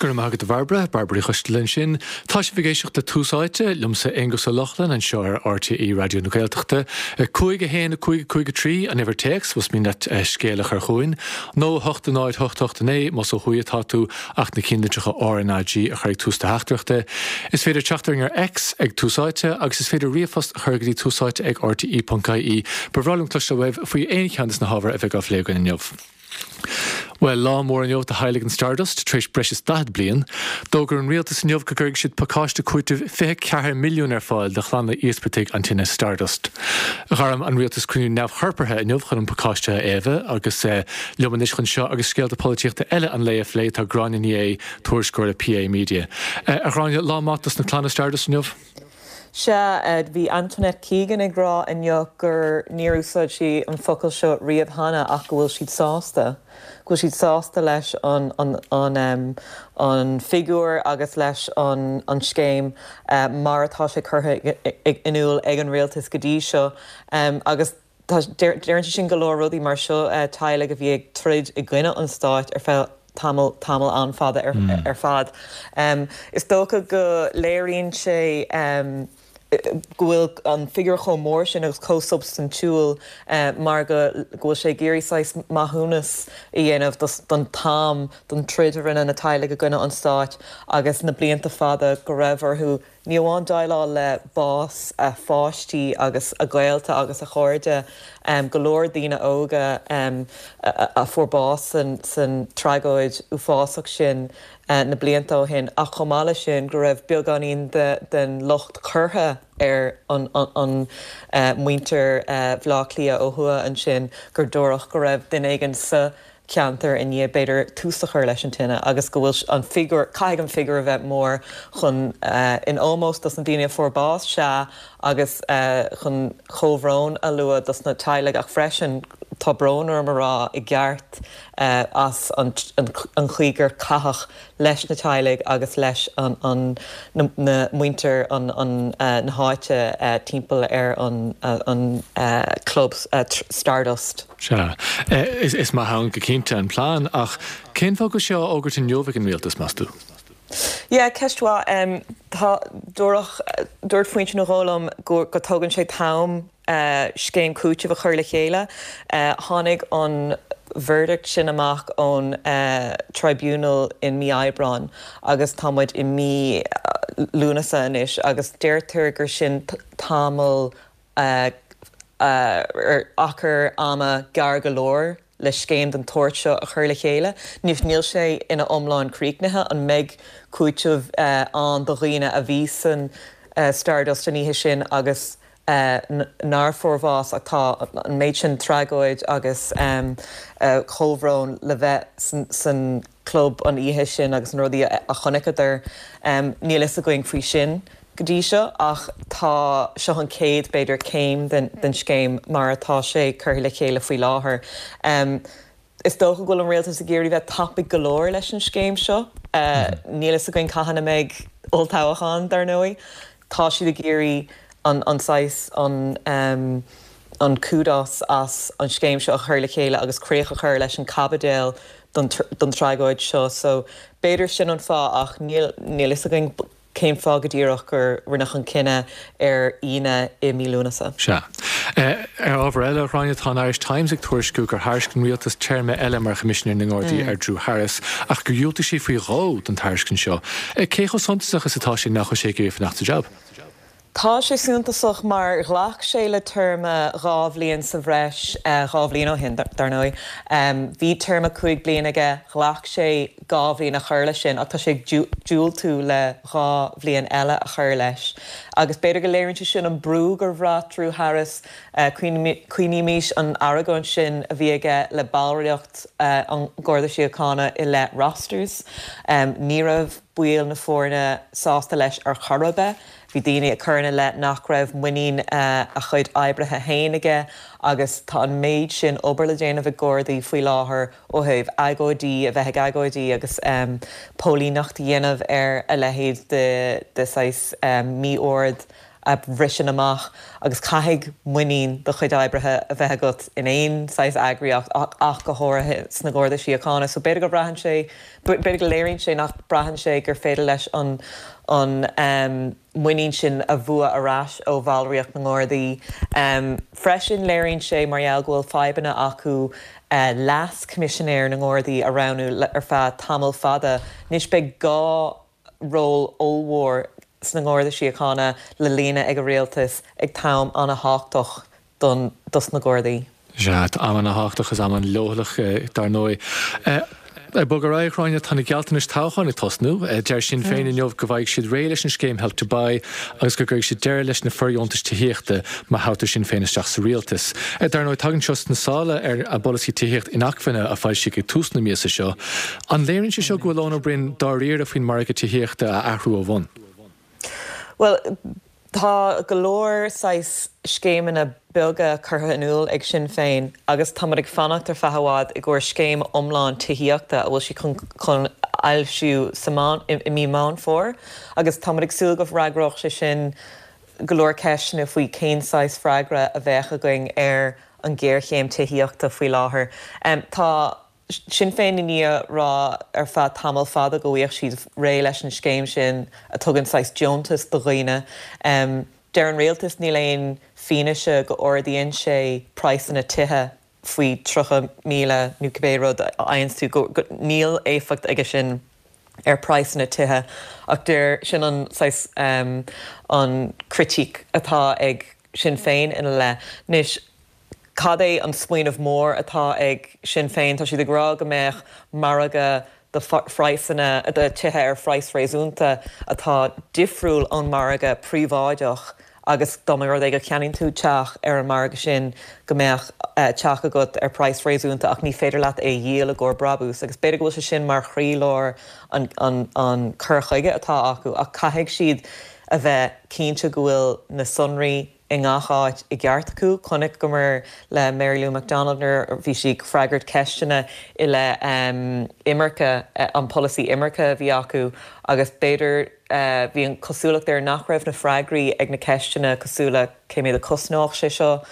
Go raibh maith agat a Bhairbre, Bairbre Uí Choisteala ansin. Tá sibh ag éisteacht le Tús Áite, liomsa Aonghus Ó Lochlainn anseo ar RTÉ Raidió na Gaeltachta. 5, 1, 5, 5, 3 an uimhir téacs más mian leat scéal a chur chugainn, nó 8, 0, 8, 8, 9 más ó thuaidh atá tú ach na cinnlitreacha RnaG a chur ag tús do theachtaireachta. Is féidir teacht orainn ar X ag Tús Áite agus is féidir ríomhphost a chur go dtí túsáite ag rte.ie. Ba bhreá liom cloisteáil uaibh faoi aon cheann de na hábhair a bheidh á phlé againn inniu. Bhuel, lá mór inniu do theaghlaigh an Stardust, tar éis breis is 40 bliain. D'fhógair an rialtas inniu go gcuirfidh siad pacáiste cúitimh 24 milliún ar fáil do chlanna íospartaigh an tine Stardust. Ghairm an rialtas cruinniú neamhchorpartha inniu chun an pacáiste a fhaomhadh agus liom anois chun seo agus scéalta polaitíochta eile an lae a phlé tá Gráinne Ní Aodha, tuairisceoir le PA Media. A Ghráinne, lá maith dos na clanna Stardust inniu? Sea, bhí Antoinette Keegan ag rá inniu gur níor úsáid sí an focal seo riamh cheana ach go bhfuil siad sásta, go bhfuil siad sásta leis an an an figiúr agus leis an an scéim mar atá sé curtha in iúl ag an rialtas go dtí seo. Agus tá, deireann sé sin go leor rudaí mar seo, teaghlaigh a bhí ag troid i gcoinne an stáit ar feadh tamall, tamall an-fhada ar fad. Is dócha go léiríonn sé go bhfuil an figiúr chomh mór sin agus chomh substaintiúil mar go bhfuil sé ag iarraidh saghas maithiúnas a dhéanamh don t-am, don troid a rinne na teaghlaigh i gcoinne an stáit agus na blianta fada go raibh orthu Ní amháin déileáil le bás a pháistí agus a gaolta agus a chairde, go leor daoine óga a fuair bás san tragóid uafásach sin na blianta ó shin, ach chomh maith leis sin go raibh beagáinín den locht curtha ar an muintir Bhaile Átha Cliath ó thuaidh ansin gur dúradh go raibh duine éigin sa cheantar i ndiaidh, b'fhéidir, tús a chur leis an tine agus go bhfuil an figiúr, caithfidh an figiúr a bheith mór chun, in ómós dos na daoine a fuair bás, sea, agus chun comhbhrón a lua dos na teaghlaigh ach freisin, tá brón orm a rá, i gceart as an chaoi gur caitheadh leis na teaghlaigh agus leis an na muintir an na háite timpeall ar an club Stardust. Sea. Is maith ann go cinnte an plean, ach cén fáth go bhfuil sé á fhógairt inniu ag an rialtas, meas tú? Yeah, ceist mhaith. Tá, dúradh, dúirt foinse nó dhó liom go go dtógann sé t-am scéim cúitimh a chur le chéile. Tháinig an verdict sin amach ón tribunal in mí Aibreáin agus tá muid i mí Lúnasa anois agus deirtear gur sin tamall achar ama gearr go leor le scéim den tsórt seo a chur le chéile. Níl sé ina iomlán críochnaithe. An mbeidh cúiteamh ann do dhaoine a bhí san Stardust an oíche sin agus nár fuair bhás ach tá an méid sin tragóid agus comhbhrón le bheith san club an oíche sin agus na rudaí a chonaiceadar. Níl fhios againn faoi sin go dtí seo ach tá, seo an chéad, b'fhéidir, céim den scéim mar atá sé curtha le chéile faoi láthair. Is dócha go bhfuil an rialtas ag iarraidh bheith tapaidh go leor leis an scéim seo. Níl fhios againn cathain a mbeidh olltoghchán, dar ndóigh. Tá siad ag iarraidh an an saghas, an an kudos as an scéim seo a chur le chéile agus críoch a chur leis an caibidil don don tragóid seo. So b'fhéidir sin an fáth ach níl níl fhios againn cén fáth go díreach gur rinneadh an cinneadh ar Aoine i mí Lúnasa. Sea. Ar ábhar eile, a Ghráinne, tá an Irish Times ag tuairisciú gur thairisc an rialtas téarma eile mar Choimisinéir na nGardaí ar Drew Harris ach gur dhiúltaigh sé faoi dhó don tairiscint seo. Cé chomh suntasach is atá sé nach bhfuil sé ag iarraidh fanacht sa jab? Tá sé suntasach mar ghlac sé le téarma 2 bhliain sa bhreis, 2 bhliain ó shin, dar ndóigh. Bhí téarma 5 bliana aige, ghlac sé 2 bhliain a chur leis sin ach tá sé ag diúltú le 2 bhliain eile a chur leis. Agus b'fhéidir go léiríonn sé sin an brú gur bhraith Drew Harris, cuimhnímís an argóint sin a bhí aige le ballraíocht an Gharda Síochána i leith rosters. Ní raibh baill na foirne sásta leis ar chor ar bith. Bhí daoine ag cur ina leith nach raibh muinín a chuid oibrithe féin aige agus tá an méid sin obair le déanamh ag Gardaí faoi láthair ó thaobh agóidí, a bheith ag agóidí agus póilíneacht a dhéanamh ar a leithéid de saghas mí-ord. a bhriseann amach agus caithfidh muinín do chuid oibrithe a bheith agat in aon saghas eagraíocht ach go háirithe sna Garda Síochána. So b'fhéidir go braitheann sé, b'fhéidir go léiríonn sé nach braitheann sé gur féidir leis an an muinín sin a bhua ar ais ó bhallraíocht na nGardaí. Freisin léiríonn sé mar gheall go bhfuil fadhbanna acu Leas-Choimisinéir na nGardaí a roghnú ar feadh tamall fada anois beidh 2 ról ollmhór sna nGarda Síochána le líonadh ag an rialtas ag t-am ana-thábhachtach don dos na Gardaí. Sea, am ana-thábhachtach is am an-leochaileach dar ndóigh. Ag bogadh ar aghaidh, a Ghráinne, tá na gealltanais toghcháin ag tosnú. Deir Sinn Féin inniu go bhfaighidh siad réidh leis an scéim Help to Buy agus go gcuirfidh siad deireadh leis na fordheontais tithíochta má thoghtar Sinn Féin isteach sa rialtas. Dar ndóigh, tagann seo sna sála ar a bpolasaí tithíocht inacmhainne a foilsíodh ag tús na míosa seo. An léiríonn sé seo go bhfuil Eoin Ó Broin dáiríre faoin margadh tithíochta a athrú ó bhun? Bhuel, tá go leor saghas scéimeanna beaga curtha in iúl ag Sinn Féin agus tá muid ag fanacht ar feadh i bhfad i gcomhair scéim iomlán tithíochta a bhfuil sí chun chun fhoilsiú sa Meán i mí Meán Fómhair agus tá muid ag súil go bhfreagródh sé sin go leor ceisteanna faoi cén saghas freagra a bheadh againn ar an ghéarchéim tithíochta faoi láthair. Tá. Sinn Féin i ndiaidh rá ar feadh tamall fada go bhfaigheadh siad réidh leis an scéim sin a tugann saghas deontas do dhaoine. Deir an rialtas níl aon fianaise go ardaíonn sé praghsanna tithe faoi 30,000 nó cibé rud a fhaigheanns tú, go níl éifeacht aige sin ar praghsanna tithe ach deir, sin an saghas an critíc atá ag Sinn Féin ina leith. Anois. Cad é an smaoineamh mór atá ag Sinn Féin? Tá siad ag rá go mbeadh margadh do phraghsanna, do tithe ar phraghas réasúnta atá difriúil ón margadh príobháideach agus dá mba rud é go cheannaíonn tú teach ar an margadh sin go mbeadh teach agat ar praghas réasúnta ach ní féidir leat é a dhíol i gcomhair brabús agus b'fhéidir go bhfuil sé sin mar chroílár an an cur chuige atá acu ach caithfidh siad a bheith cinnte go bhfuil na sonraí i ngach áit i gceart acu. Chonaiceamar le Mary Lou McDonald nuair a bhí sí ag freagairt ceisteanna i leith imirce, an polasaí imirce a bhí acu agus b'fhéidir bhí an chosúlacht air nach raibh na freagraí ag na ceisteanna cosúil le cé mhéad a chosnódh sé seo,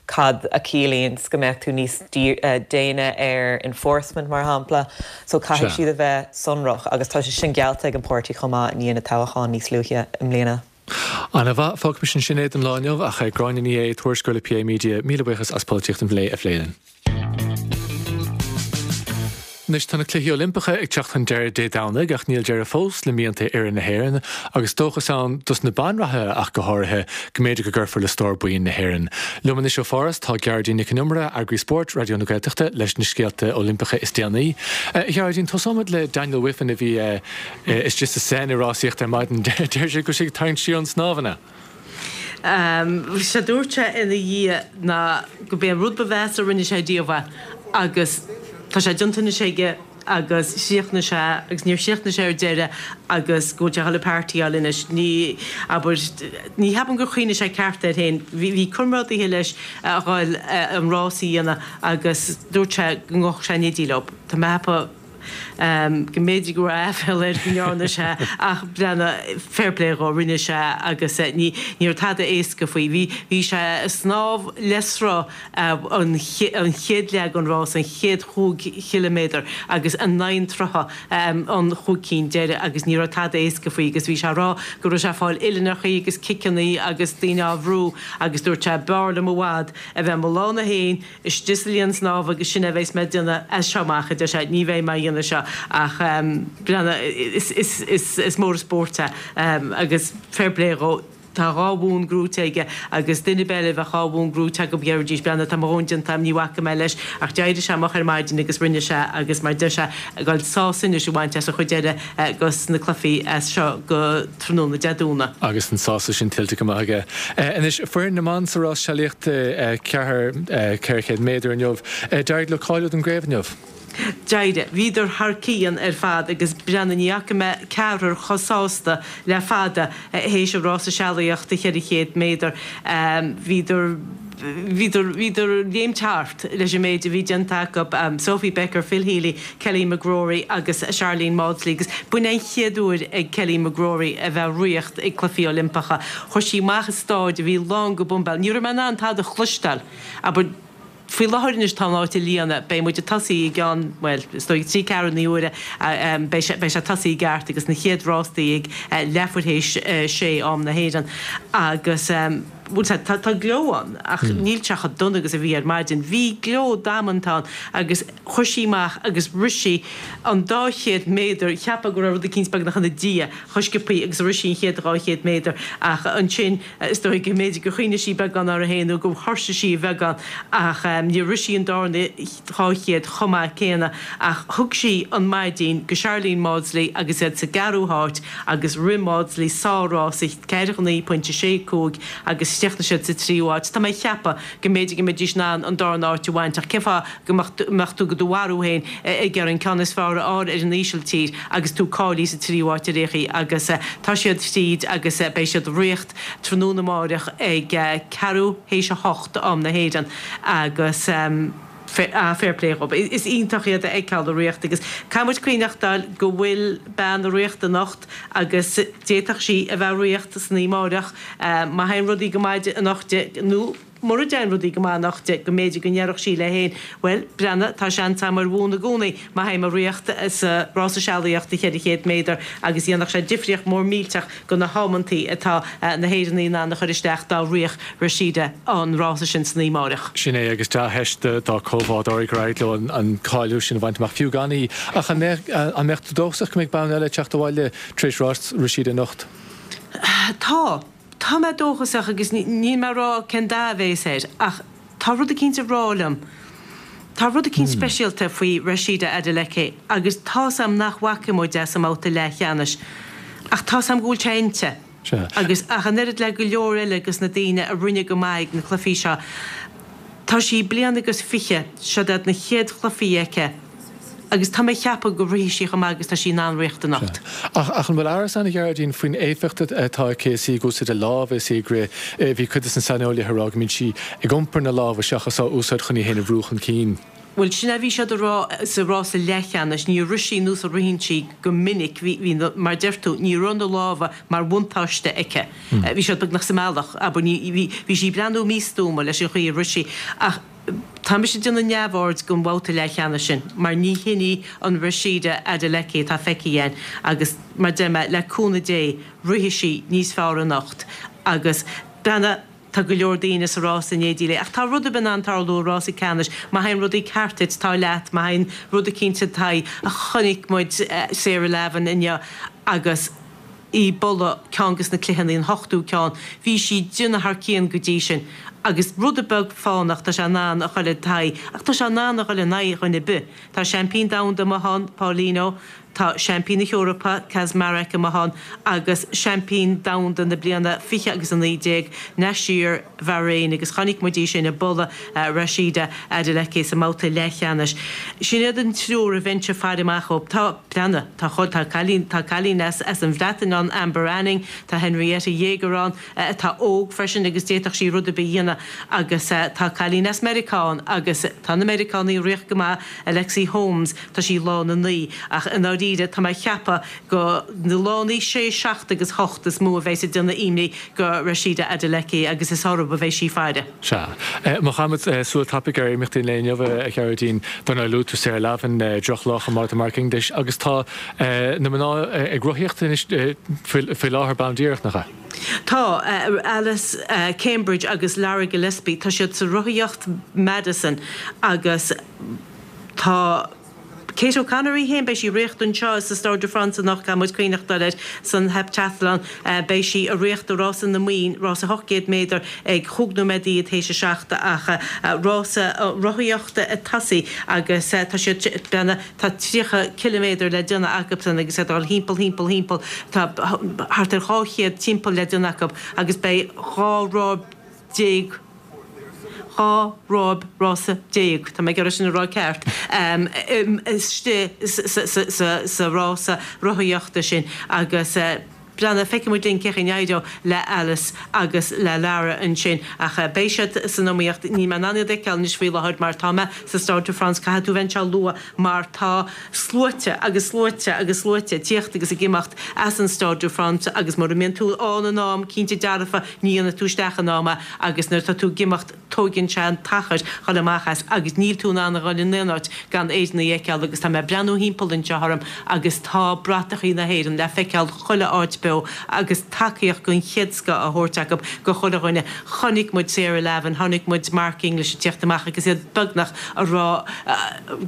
cad a chiallaíonns go mbeadh tú níos déine ar enforcement mar shampla. So caithfidh siad a bheith sonrach agus tá sé sin geallta ag an páirtí chomh maith i ndiaidh na toghcháin níos luaithe i mbliana. Ana-mhaith. Fágfaimis ansin é don lá inniu, ach Gráinne Ní Aodha, tuairisceoir le PA Media, míle buíochas as Polaitíocht an Lae a phlé linn. Anois tá na Cluichí Oilimpeacha ag teacht chun deiridh Dé Domhnaigh ach níl deireadh fós le mianta fhoireann na hÉireann agus dóchas ann dos na banreathaithe ach go háirithe go mb'fhéidir go gcuirfear le stór boinn na hÉireann. Liom anois ó Pháras tá Gearóidín Nic Con Iomaire, eagraí spóirt Raidió na Gaeltachta leis na scéalta Oilimpeacha is déanaí. A Ghearóidín, tosóimid le Daniel Wiffen a bhí Istigh sa Seine ag rásaíocht ar maidin. Deir sé go bhfuil sé ag tarraingt siar ón snámh, an ea? Sé dúirt sé ina dhiaidh ná go b'é an rud ba mheasa a rinne sé riamh é agus tá sé déanta anois aige agus chríochnaigh sé agus níor chríochnaigh sé ar deireadh agus go bhfuil sé a dhul ag partyáil anois. Ní, abair, ní cheapaim gur chuimhnigh sé ceart air féin. Bhí, bhí comrádaithe leis a dhul an rás a dhéanamh agus dúirt sé go ngabhfadh sé in éindí leo. Tá mé a cheapadh. go mb'fhéidir go raibh aiféala air go ndearna sé ach breathnaigh, fair play dhó, rinne sé agus ní ní raibh tada éasca faoi. Bhí bhí sé ag snámh le sruth an an chéad leath den rás, an chéad chúig chiliméadar agus in aghaidh an tsrutha an chúig cinn deiridh agus ní raibh tada éasca faoi agus bhí sé ag rá go raibh sé ag fáil uillinneachaí agus ciceannaí agus daoine á bhrú agus dúirt sé b'fhearr liom i bhfad a bheith mo lán féin istigh sa linn snámha agus sin é a bheas mé ag déanamh as seo amach, a deir sé, ní bheidh mé a dhéanamh seo ach breathnaigh, is mór an spórt é agus fair play dhó, tá dhá bhonn gnóite aige agus duine ar bith eile bheadh dhá bhonn gnóite acu déarfaidís breathnaigh tá mo dhóthain déanta agam ní bhacfaidh mé leis ach d'éirigh sé moch ar maidin agus rinne sé agus mar deir sé ag dul sásamh anois a bhaint as an chuid eile dos na cluichí as seo go tráthnóna Dé Domhnaigh. Agus an sásamh sin tuillte go maith aige. Anois, foireann na mban sa rás sealaíochta 4, 400 méadar inniu. D'éirigh leo cáiliú don gcraobh inniu. D'éirigh. Bhíodar thar cionn ar fad agus breathnaigh, ní fhaca mé ceathrar chomh sásta le fada théis an rása sealaíochta 400 méadar. Bhíodar, bhíodar, bhíodar ag léimt thart leis an méid a bhí déanta acu, Sophie Becker, Phil Healy, Kelly McGrory agus Sharlene Mawdsley agus b'in an chéad uair ag Kelly McGrory a bheith ag ritheacht ag Cluichí Oilimpeacha. Chuir sí amach i stáid a bhí lán go boimbéal. Ní raibh mé in ann tada a chloisteáil, abair. Faoi láthair anois tá an áit á líonadh. Beidh muid ag tosaí i gceann, bhuel, is dóigh trí ceathrú na huaire, beidh sé, beidh sé tosaí i gceart agus na chéad rástaí ag leathuair théis sé am na hÉireann agus, bhuel, tá, tá gleo ann ach níl sé chomh dona agus a bhí ar maidin. Bhí gleo damanta ann agus chuir sí amach agus rith sí an dá chéad méadar, cheapfá go raibh rud eicínt beagnach ina diaidh chomh sciobthaí agus a rith sí an chéad 200 méadar ach ansin, Is dóigh go mb'fhéidir gur chuimhnigh sí beagán uirthi féin nó gur thuirsigh sí a bheagán ach níor rith sí an darna 200 chomh maith céanna ach thug sí an maidín go Sharlene Mawdsley agus iad sa gceathrú háit agus rith Mawdsley sár-rása 4 9.65 agus chríochnaigh siad sa tríú háit. Tá mé ag ceapadh go mb'fhéidir go mbeidís in ann an darna háit a bhaint ach cén fáth go mbeadh tú do do mharú féin ag iarraidh an ceann is fearr a fháil ar an Ísiltír agus tú cáilithe sa tríú háit ar aon chaoi agus tá siad fríd agus beidh siad ag ritheacht tráthnóna amáireach ag ceathrú théis a hocht am na hÉireann agus fair play dhób. Is iontach iad a fheiceáil ag ritheacht agus caithfidh muid cuimhneachtáil go bhfuil bean ag ritheacht anocht agus d'fhéadfadh sí a bheith ag ritheacht san oíche amáireach má théann rudaí go maith anocht di nó Mura dtéann rudaí go maith anocht di, go mb'fhéidir go ndéarfadh sí léi féin, 'Bhuel, breathnaigh, tá seans agam ar bhonn i gcónaí má théim ag ritheacht sa rása sealaíochta 400 méadar' agus dhéanfadh sé difríocht mór millteach do na hamantaí atá na hÉireannaigh in ann a chur isteach dá rithfeadh Rhasidat an rása sin san oíche amáireach. Sin é agus dea-theist dá comhbhádóirí gur éirigh leo an cáiliú sin a bhaint amach, fiú gan í. Ach an mbeadh tú dóchasach go mbeidh bonn eile ag teacht abhaile tar éis rás Rhasidat anocht? Tá. Tá mé dóchasach agus níl mé ag rá cén dath a bhéas air ach tá rud eicínt ag rá liom, tá rud eicínt speisialta faoi Rhasidat Adeleke agus tá's a'm nach bhfaca muid é sa mbabhta leathcheannais ach tá's a'm go bhfuil sé inti agus ach an oiread le go leor eile dos na daoine a rinne go maith ag na cluichí seo, tá sí bliain agus fiche, siod iad na chéad chluichí aici. Agus tá mé ag ceapadh go rithfidh sí chomh maith agus tá sí in ann ritheacht anocht. Ach an bhfuil amhras ann, a Ghearóidín, faoin éifeacht atá aici is í ag úsáid a lámh is í ag rith? Bhí cuid de na saineolaithe ag rá go mbíonn sí ag iompar na lámha seachas á úsáid chun í féin a bhrú chun cinn. Bhuel, sin é a bhí siad a rá sa rása leathcheannais. Níor rith sí nós a ritheann sí go minic. Bhí, bhí na, mar deir tú, ní raibh na lámha mar bhuntáiste aici. Bhí siad beagnach sa mbealach, abair, ní, bhí, bhí sí ag breathnú místuama leis an chaoi a rith sí. Ach. Tá mise ag déanamh neamhaird den bhabhta leathcheannais sin mar ní hin í an Rhasidat Adeleke atá feicthe againn agus mar deir mé, le cúnamh Dé, rithfidh sí níos fearr anocht agus breathnaigh, tá go leor daoine sa rás in éindí léi ach tá rud ar bith in ann tarlú i rása ceannais, má théann rudaí ceart duit, tá leat, má théann rud eicínt i d'aghaidh, chonaic muid Sarah Lavin inniu agus. í ag bualadh ceann des na cluicheanna, an hochtú ceann. Bhí sí ag déanamh thar cionn go dtí sin agus rud beag fánach tá sé in ann a dhul i d'aghaidh ach tá sé in ann a dhul in aghaidh dhuine ar bith. Tá seaimpín domhanda amuigh ann, Paulino, tá seaimpín na hEorpa, Kaczmarek amuigh ann agus seaimpín domhanda na bliana 20 agus 19, Nashir Bhairéin agus chonaic muid í sin ag bualadh Rhasidat Adeleke sa mbabhta leathcheannais. Sin iad an triúr a bheinnse ag faire amach dhóibh. Tá, breathnaigh, tá chomh, tá cailín, tá cailín as, as an Bhreatain ann, Amber Anning, tá Henrietta Jager ann atá óg freisin agus d'fhéadfadh sí rud ar bith a dhéanamh agus tá cailín as Meiriceá ann agus tá na Meiriceánaigh ag ritheacht go maith, Alexi Holmes, tá sí lána 9 ach i ndáiríre tá mé ag ceapadh go na lánaí 6, 7 agus 8 is mó a bheas ag déanamh imní go Rhasidat Adeleke agus is orthu a bheidh sí ag faire. Sea. Má chaithimid súil tapaidh ar imeachtaí an lae inniu, a Ghearóidín, dar ndóigh luaigh tú Sarah Lavin, drochlá chomh maith do Mark English agus tá na mná ag rothaíocht anois faoi láthair bonn díreach, nach ea? Tá. Alice Cambridge agus Lara Gillespie, tá siad sa rothaíocht Madison agus tá. Kate O'Connor í féin, beidh sí ag ritheacht anseo sa Stade de France anocht, caithfidh muid cuimhneachtáil air san heptathlon. Beidh sí ag ritheacht i rása na mban, rása 800 méadar ag chúig nóiméad fhichead théis a seacht ach rása rothaíochta ag tosaí agus tá siad, breathnaigh, tá 30 ciliméadar le déanamh acusan agus iad ag dul thimpeall, thimpeall, thimpeall, tá thart ar 200 timpeall le déanamh acu agus beidh 12 ráth. 12 ráib rása, tá mé ag iarraidh sin a rá ceart, istigh sa rása rothaíochta sin agus breathnaigh, feicfidh muid linn cén chaoi a n-éireoidh le Alice agus le Lara ansin ach beidh siad san iomaíocht. Níl mé in ann iad a fheiceáil anois faoi láthair mar tá mé sa Stade de France, caithfidh tú bheith anseo luath mar tá sluaite agus sluaite agus sluaite ag tíocht agus ag imeacht as an Stade de France agus mura mbíonn tú ann in am, cinnte dearfa, ní dhéanfaidh tú isteach in am é agus nuair atá tú ag imeacht tóigeann sé an t-achar dhul amach as agus níl tú in ann a dhul in aon áit gan Éireannaigh a fheiceáil agus tá mé ag breathnú thimpeall anseo orm agus tá bratachaí na hÉireann le feiceáil chuile áit beo agus tacaíocht den chéad scoth á thabhairt acu go chuile dhuine. Chonaic muid Sarah Lavin, chonaic muid Mark English ag tíocht amach agus iad beagnach a rá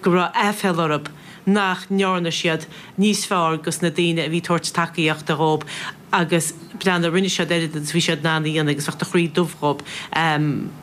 go raibh aiféal orthu nach ndearna siad níos fearr dos na daoine a bhí ag tabhairt tacaíochta dhób. Agus breathnaigh, rinne siad oiread agus bhí siad in ann a dhéanamh agus bheadh do chroí dubh dhób.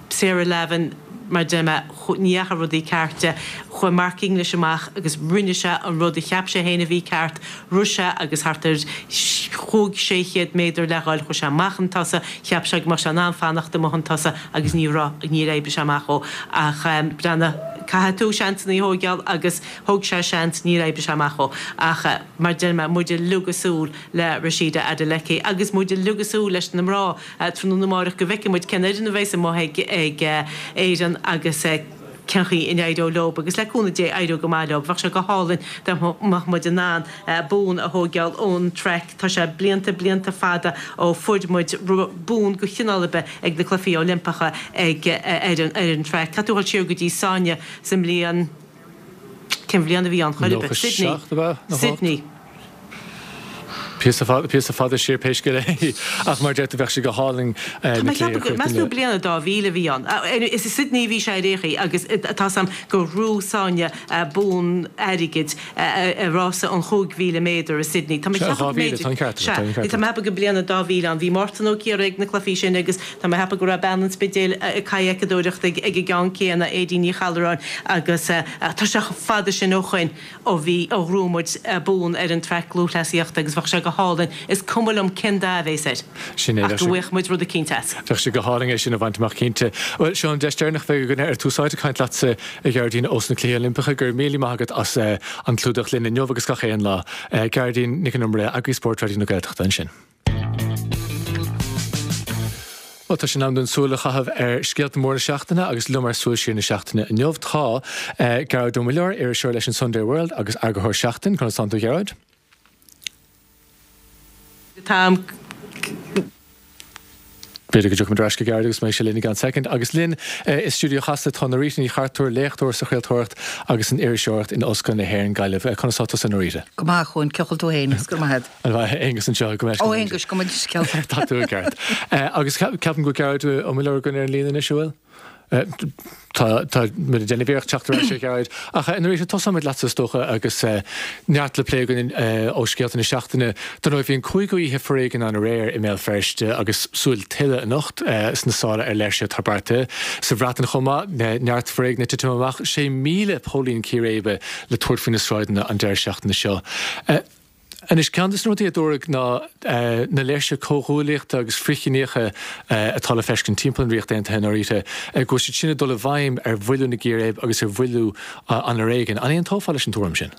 Sarah Lavin, mar a deir mé, ní dheachaigh rudaí ceart di. Chuaigh Mark English amach agus rinne sé an rud a cheap sé féin a bhí ceart, rith sé agus thart ar chúig, 600 méadar le dhul, chuaigh sé amach chun tosaigh, cheap sé go mbeadh sé in ann fanacht amuigh chun tosaigh agus ní raibh, níor oibrigh sé amach dhó. Ach breathnaigh, caithfidh tú seansanna a thóigeáil agus thóg sé seans, níor oibrigh sé amach dhó. Ach mar a deir mé, muid uilig ag súil le Rhasidat Adeleke agus muid uilig ag súil leis na mná tráthnóna amáireach go bhfeicfidh muid cén fhoireann a bheas amuigh ag Éirinn agus cén chaoi a n-éireoidh leo agus le cúnamh Dé éireoidh go maith leo. Bheadh sé go hálainn dá mbeadh muid in ann bonn a thóigeáil ón traic. Tá sé blianta, blianta fada ó fuair muid bonn de chineál ar bith ag na Cluichí Oilimpeacha ag ar an traic. Caithfidh tú dhul siar go dtí Sonia sa mbliain. Cén bhliain a bhí ann chor ar bith? Sydney. 97 ab ea? 98? Sydney. Píosa fada, píosa fada siar pé scéal é. Ach mar a deir tú bheadh sé go hálainn Tá na mé ag cluichí a ceapadh go, chur meas tú bliain 2000 a bhí ann. Is i Sydney a bhí sé ar aon chaoi agus tá 's a'm gur ghnóthaigh Sonia bonn airgid i rása an 5,000 méadar i Sydney. Tá mé ag Sea, ceapadh go 2000, tá an mb'fhéidir, ceart agat, sea, tá an ceart tá mé agat. ag ceapadh go bliain 2000 ann. Bhí Mártan Ó Ciaraidh ag na cluichí sin agus tá mé ag ceapadh go raibh bean an Spidéil ag cadhcadóireacht ag an gceann céanna, Aedín Ní Challáin agus tá sé chomh fada sin ó shoin ó bhí, ó ghnóthaigh muid bonn ar an traic lúthchleasaíochta agus bheadh sé go hálainn, is cuma liom cén dath a bhéas air, Sin é, ach bheadh go sé, bhfaigheadh muid rud eicínt as. bheadh sé go hálainn é sin a bhaint amach cinnte. Bhuel, seo an deis deireanach a bheidh againn ar Tús Áite caint leatsa, a Ghearóidín, ós na Cluichí Oilimpeacha. Go raibh míle maith agat as an clúdach linn inniu agus gach aon lá. Gearóidín Nic an Iomaire, Eagraí Spóirt Raidió na Gaeltachta ansin. Bhuel, tá sé in am dúinn súil a chaitheamh ar scéalta móra na seachtaine agus liom ar Súil Siar na Seachtaine inniu tá Gearóid Ó Muilleoir, iriseoir leis an Sunday World agus eagarthóir Seachtain. Conas tánn tú, a Ghearóid? Táim. B'fhéidir go dtiocfaimid ar ais go Gearóid agus mbeidh sé linn i gceann soicind. Agus linn i stiúideo Chasla tá Norita Ní Chartúir, léachtóir sa chraoltóireacht agus san iriseoireacht in Ollscoil na hÉireann, Gaillimh. Conas tá tusa, Norita? Go maith, a Chuain. Cén chaoi a bhfuil tú féin? Agus go raibh maith agat. An mhaith, Aonghus anseo, go mbeidh. Ó, Aonghus, gabh mo leithscéal. Tá tú i gceart. Agus ceapaim go bhfuil Gearóid Ó Muilleoir againn ar an líne anois, an bhfuil? Tá, tá muid ag déanamh iarracht teacht ar ais ar Ghearóid. Ach Norita, tosóimid leatsa is dócha agus neart le plé againn ó scéalta na seachtaine. Dar ndóigh, bhí an cúigiú oíche foréigin ann aréir i mBéal Feirste agus súil tuilleadh anocht sna sála ar léirsithe atá beartaithe. Sa Bhreatain chomh maith, neart foréigin ag titim amach, 6,000 póilín círéibe le tabhairt faoi na sráideanna an deireadh seachtaine seo. Anois, ceann de na rudaí a dúradh ná na léirsithe comhghuaillíochta agus frithchiníocha atá le feiscint timpeall an Ríocht Aontaithe, Norita, go bhfuil siad sin ag dul i bhfeidhm ar mhoilliú na gcíréib agus ar mhoilliú an fhoréigin. An aontófá leis an tuairim sin?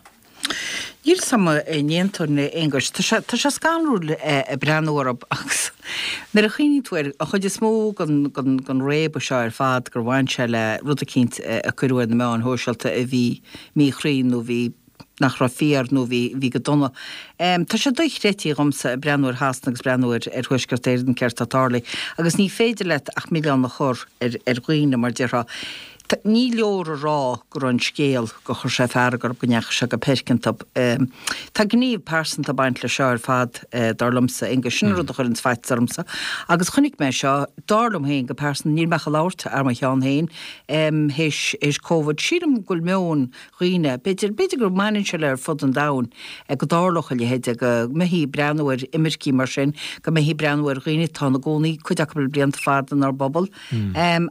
Níl 'fhios a'm an n-aontóinn, a Aonghuis. Tá sé, tá sé scanrúil ag breathnú orthu agus nuair a chuimhníonn tú air, an chuid is mó den, den, den réabadh seo ar fad gur bhain sé le rud eicínt a cuireadh ar na meáin shóisialta a bhí míchruinn nó bhí nach raibh fíor nó bhí, bhí go dona. Tá sé dochreidte dhomsa ag breathnú ar Shasana agus breathnú ar, ar Thuaisceart Éireann céard atá tarlaithe agus ní féidir leat ach milleán a chur ar, ar dhaoine mar déarfá. Ní leor a rá go raibh an scéal, gur chuir sé fearg orthu, go ndeachaigh sé go peirce iontu. Tá gníomh pearsanta ag baint leis seo ar fad, dar liomsa, Aonghus. Sin an rud a chuireanns faitíos ormsa. Agus chonaic mé seo, dar liom féin go pearsanta, níl mé ach ag labhairt thar mo cheann féin, théis, théis Covid. Sílim go bhfuil meon dhaoine. B'fhéidir, b'fhéidir go mbaineann sé le ar fud an domhain, go dtarlódh a leithéid, go mbeifí ag breathnú ar imircigh mar sin, go mbeifí ag breathnú ar dhaoine atá ina gcónaí, cuid acu le blianta fada inár bpobal.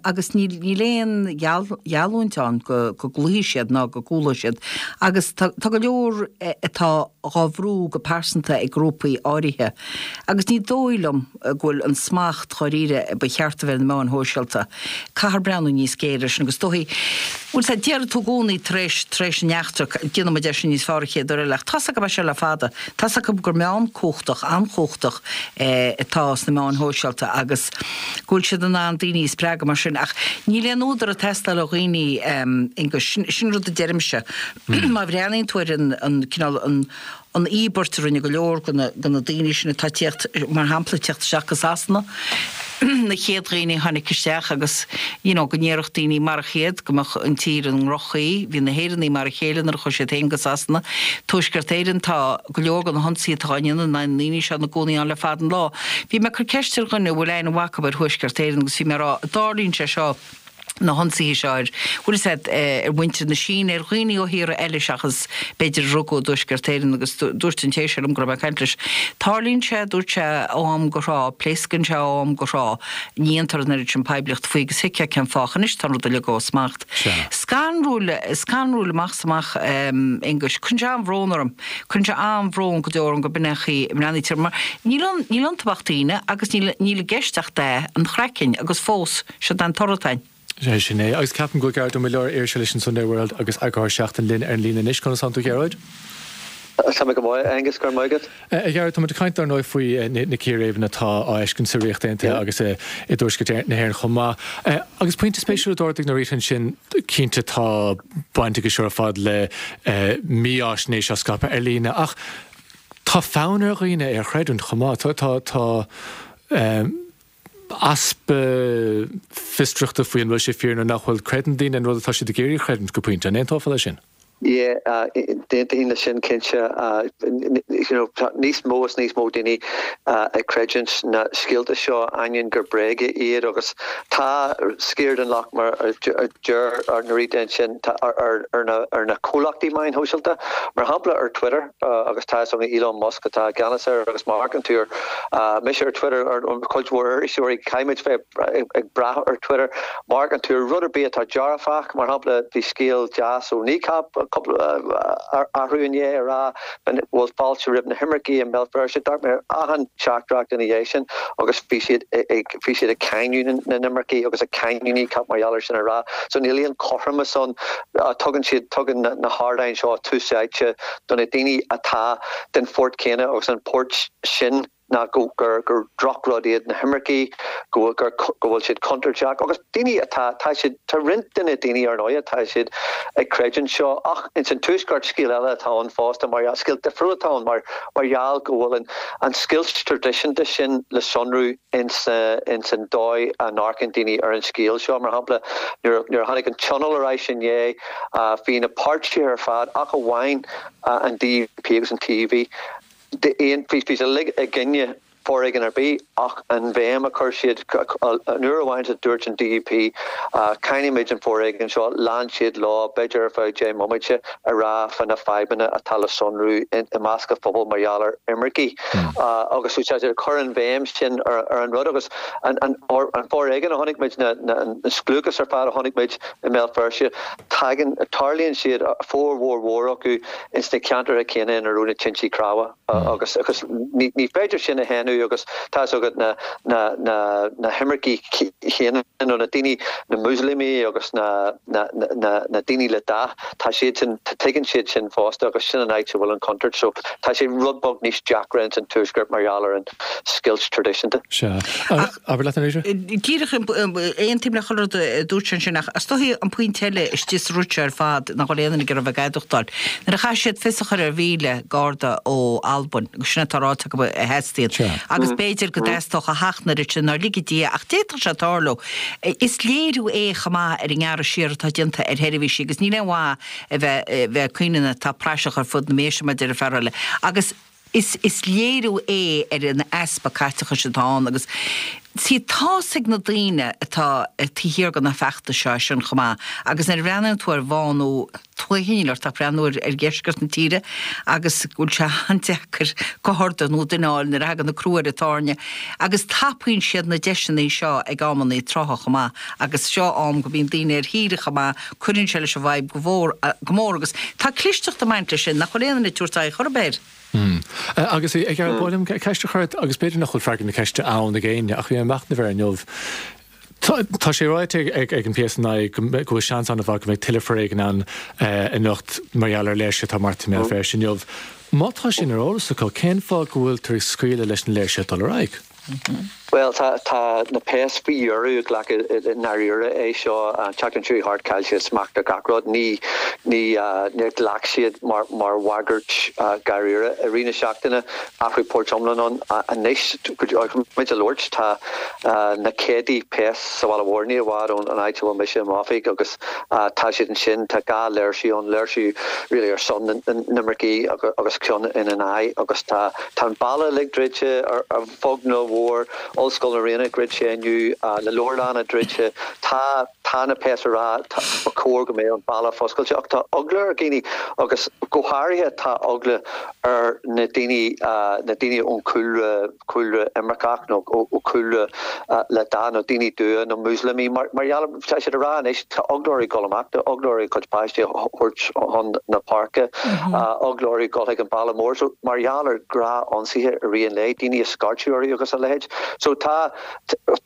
Agus níl, níl aon gheall. gheallúint ann go gcloífidh siad ná go gcúlóidh siad agus tá go leor atá dhá bhrú go pearsanta ag grúpaí áirithe agus ní dóigh liom go bhfuil an smacht dháiríre a ba cheart a bheith ar na meáin shóisialta. Caithfear breathnú níos géire air sin agus is dóichí, bhuel sea, déarfaidh tú i gcónaí tar éis, tar éis an eachtra, déanfaidh muid é sin níos fearr an chéad uair eile ach tá's agam beidh sé le fada. Tá's acu gur meán cumhachtach, an-chumhachtach atá sna meáin shóisialta agus go bhfuil siad in ann daoine a spreagadh mar sin ach níl aon údar ag teastáil ó dhaoine, Aonghus, sin, sin rud a deirimse. Má bhreathnaíonn tú ar an, an cineál, an, an íobairt a rinne go leor de na, de na daoine sin atá ag tíocht, mar shampla, ag tíocht isteach go Sasana, na chéad dhaoine a tháinig isteach agus you know go ndéarfadh daoine marach iad go mbeadh an tír i ndroch-chaoi. Bhí na hÉireannaigh mar a chéile nuair a chuaigh siad féin go Sasana. Tuaisceart Éireann, tá go leor de na hionsaithe atá á ndéanamh na ndaoine seo ina gcónaí ann le fada an lá. Bhí mé ag cur ceist ar dhuine a bhfuil aithne mhaith acu ar Thuaisceart Éireann agus bhí mé ag rá, an dtarlaíonn sé seo, na hionsaithe seo ar, bhfuil fhios a'd, ar mhuintir na Síne, ar dhaoine ó thíortha eile seachas b'fhéidir a rugadh i dTuaisceart Éireann agus dúirt an té seo liom go raibh mé ag caint leis, tarlaíonn sé, dúirt sé, ó am go thráth, pléascann sé ó am go thráth, ní dhéantar an oiread sin poiblíochta faoi agus thuigfeá cén fáth ach anois tá an rud uilig ó smacht. Scanrúil, scanrúil amach is amach, Aonghus. Cuireann sé an-bhrón orm. Cuireann sé an-bhrón go deo orm go b'in é an chaoi a mbreathnaítear mar níl ann, níl iontu ach daoine agus níl, níl i gceist ach dath an chraicinn agus fós, Seo é an toradh atá ann. Sea, sin é. Agus ceapaim go bhfuil Gearóid Ó Muilleoir, iriseoir leis an Sunday World agus eagarthóir Seachtain linn ar an líne anois. Conas tánn tú, a Ghearóid? Tá mé go maith, a Aonghus, go raibh maith agat. A Ghearóid, tá muid ag caint dar ndóigh faoi na círéibeanna atá á bhfeiscint sa Ríocht Aontaithe agus i dTuaisceart na hÉireann chomh maith. Agus pointe spéisiúil a d'ardaigh Norita ansin, cinnte tá baint aige seo ar fad le mífháisnéis á scaipeadh ar líne ach tá fonn ar dhaoine é a chreidiúint chomh maith. Tá, tá, easpa fiosrachta faoi an bhfuil sé fíor nó nach bhfuil. Creideann daoine an rud atá siad ag iarraidh a chreidiúint go pointe. An aontófá leis sin? Yeah, d'aontóinn leis sin cinnte. You know, tá níos mó is níos mó daoine ag creidiúint na scéalta seo ainneoin gur bréaga iad agus tá sciar den locht mar a deir Norita ansin ar na comhlachtaí meáin shóisialta. Mar shampla ar Twitter. agus tá fhios againn Elon Musk atá i gceannas air agus má amharcann tú ar, mise ar Twitter, ar cuid mhór iriseoirí, caithfimid bheith ag brath ar Twitter, má amharcann tú ar rud ar bith atá dearfach, mar shampla bhí scéal deas ó Kneecap cúpla athrú inné ag rá go bhfuil fáilte roimh na himircigh i mBéal Feirste, d'amharc mé ar achan teachtaireacht ina dhiaidh sin agus bhí siad ag bhí siad ag cáineadh na n-imircigh agus ag cáineadh Kneecap mar gheall ar sin a rá so níl aon chothromas ann. Tugann siad, tugann na hardáin seo tús áite do na daoine atá den pháirt chéanna agus an pháirt sin ná go gur gur drochrud iad na himircigh, go gur go bhfuil siad contúirteach agus daoine atá, tá siad, tá roinnt de na daoine ar ndóigh atá siad ag creidiúint seo ach ins an Tuaisceart scéal eile atá ann fosta mar scéal difriúil atá ann mar mar gheall go bhfuil an an scoilt traidisiúnta sin le sonrú ins ins an dóigh a n-amharcann daoine ar an scéal seo. Mar shampla nuair nuair a tháinig an Tionól ar ais inné, Bhí na páirtithe ar fad, ach amháin an DUP agus an TUV, bhí siad uilig i gcoinne foréigean ar bith ach an bhéim a chuir siad, an uair amháin a dúirt an DUP cáinimid an foréigean seo, lean siad leo, b'fhéidir ar feadh 10 mbomaite, a rá fá na fadhbanna atá le sonrú i measc an phobail mar gheall ar imircigh agus bhí siad ag cur an bhéim sin ar an rud agus an foréigean a chonaic muid, an scliúchas ar fad a chonaic muid. I mBéal Feirste, tagann, tarlaíonn siad, formhór mhór acu, ins na ceantracha céanna ina raibh na tintí cnámha agus agus ní ní féidir sin a shéanadh agus tá fhios agat na na na na himircigh chéanna nó na daoine, na Muslamaigh agus na na na na daoine le dath, tá siad sin, tuigeann siad sin fosta agus sin an áit a bhfuil an chontúirt so tá sé rud beag níos deacra ins an Tuaisceart mar gheall ar an scoilt traidisiúnta. Sea. Abair leat Anita. Díreach, aontaím le chuile rud a dúirt sé ansin ach is dóichí an pointe eile istigh sa rud seo ar fad nach bhfuil aon duine ag iarraidh a bheith ag adúchtáil. Nuair a chaith siad fios a chur ar 1,000 garda ó Albain, agus sin atá ráite acu a theastaíonn, agus b'fhéidir go dteastódh a sheacht n-oiread sin, ná lige Dia, ach d'fhéadfadh sé tarlú. Is léiriú é chomh maith ar an ngearradh siar atá déanta ar sheirbhísí agus níl aon mhaith a bheith ag caoineadh na tá praiseach ar fud na méise mar a deir an fear eile. Agus. Is is léiriú é ar an easpa caiteachais atá ann agus. See, tá's ag na daoine atá taobh thiar de na feachtais seo é sin chomh maith agus nuair a bhreathnaíonn tú ar bhánú tuaithe, níl ort ach breathnú ar dheisceart na tíre agus go bhfuil sé an-deacair garda nó duine a fháil nuair a thagann an crú ar an tairne agus tapaíonn siad na deiseanna seo ag amannaí trátha chomh maith agus seo am go mbíonn daoine ar shaoire chomh maith, cuireann sé leis an bhfadhb go mhór, go mór agus tá clisteacht ag baint leis sin nach bhfuil aon duine ag tabhairt aghaidh chor ar bith air. Agus a Ghearóid, ba mhaith liom ceist a chur ort, agus b'fhéidir nach bhfuil freagra na ceiste ann ag éinne, ach bhí mé ag machnamh air inniu. Tá sé ráite ag an PSNI go bhfuil seans an-mhaith go mbeidh tuilleadh foréigin ann anocht mar gheall ar léirsithe atá beartaithe i mBéal Feirste inniu. Má tá sin ar eolas acu, cén fáth go bhfuiltear ag scaoileadh leis na léirsithe dul ar aghaidh? Bhuel, tá, tá na péas faoi dheireadh ag glacadh i ndáiríre é seo. An tseachtain seo chuaigh thart, chaill siad smacht ar gach rud. Ní, ní, níor ghlac siad mar, mar bhagairt dháiríre. I rith na seachtaine, athrú poirt iomlán ann. Anois, muid ag labhairt, tá na céadtaí péas sa bhaile mhór, ní i bhfad ón áit a bhfuil mise i m'oifig agus tá siad ansin. Tá 2 léirsiú ann, léirsiú really ar son na n-imircigh agus ceann ina n-aghaidh agus tá, Tá an baile uilig druidte ar bheag nó mhór, Ollscoil na Ríona druidte inniu, na leabharlanna druidte. Tá tá na péas ag rá ba chóir go mbeadh an baile foscailte ach tá eagla ar dhaoine agus go háirithe tá eagla ar na daoine na daoine ón chúlra cúlra imirceach nó ó chúlra le dath nó daoine dubha nó Muslamaigh mar mar gheall tá siad ag rá anois tá eagla orthu dul amach, tá eagla orthu a gcuid páistí a thabhairt chun na páirce, eagla orthu dul chuig an baile mór. So mar gheall ar ghnáth-ionsaithe i rith an lae, daoine ag scairteadh orthu agus a leithéid. So tá,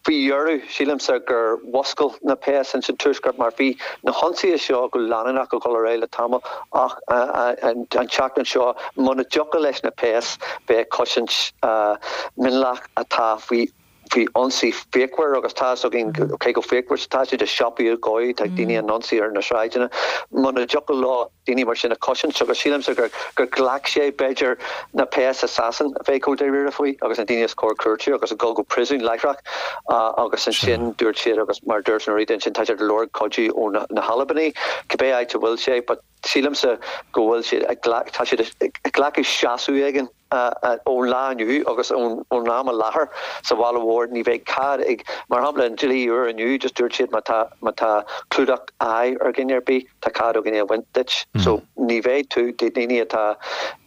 faoi dheireadh, sílimse gur mhuscail na péas ins an Tuaisceart mar bhí na hionsaithe seo go leanúnach ag dul ar aghaidh le tamall ach an tseachtain seo muna dtiocfadh leis na péas bheith ag cosaint mionlach atá faoi faoi ionsaí fíochmhar agus tá fhios againn cé chomh fíochmhar is atá siad, i siopaí ag goid, tá daoine á n-ionsaí ar na sráideanna. Muna dtiocfadh leo daoine mar sin a chosaint agus sílimse gur gur ghlac sé b'fhéidir na péas i Sasain a bheith chomh dáiríre faoi agus na daoine is cóir cúirtiú agus a dhul go príosún láithreach agus ansin dúirt siad agus mar dúirt Norita ansin tá siad ag lorg cuidiú ó na hAlbanaigh cibé áit a bhfuil sé but sílimse go bhfuil siad ag tá siad ag glacadh seasamh éigin. Ón lá inniu agus ón am i láthair sa bhaile mhór ní bheidh cead ag, mar shampla an dlí úr inniu just dúirt siad má tá má tá clúdach aghaidh ar dhuine ar bith tá cead againn é a bhaint duit. So ní bheidh tú, daoine atá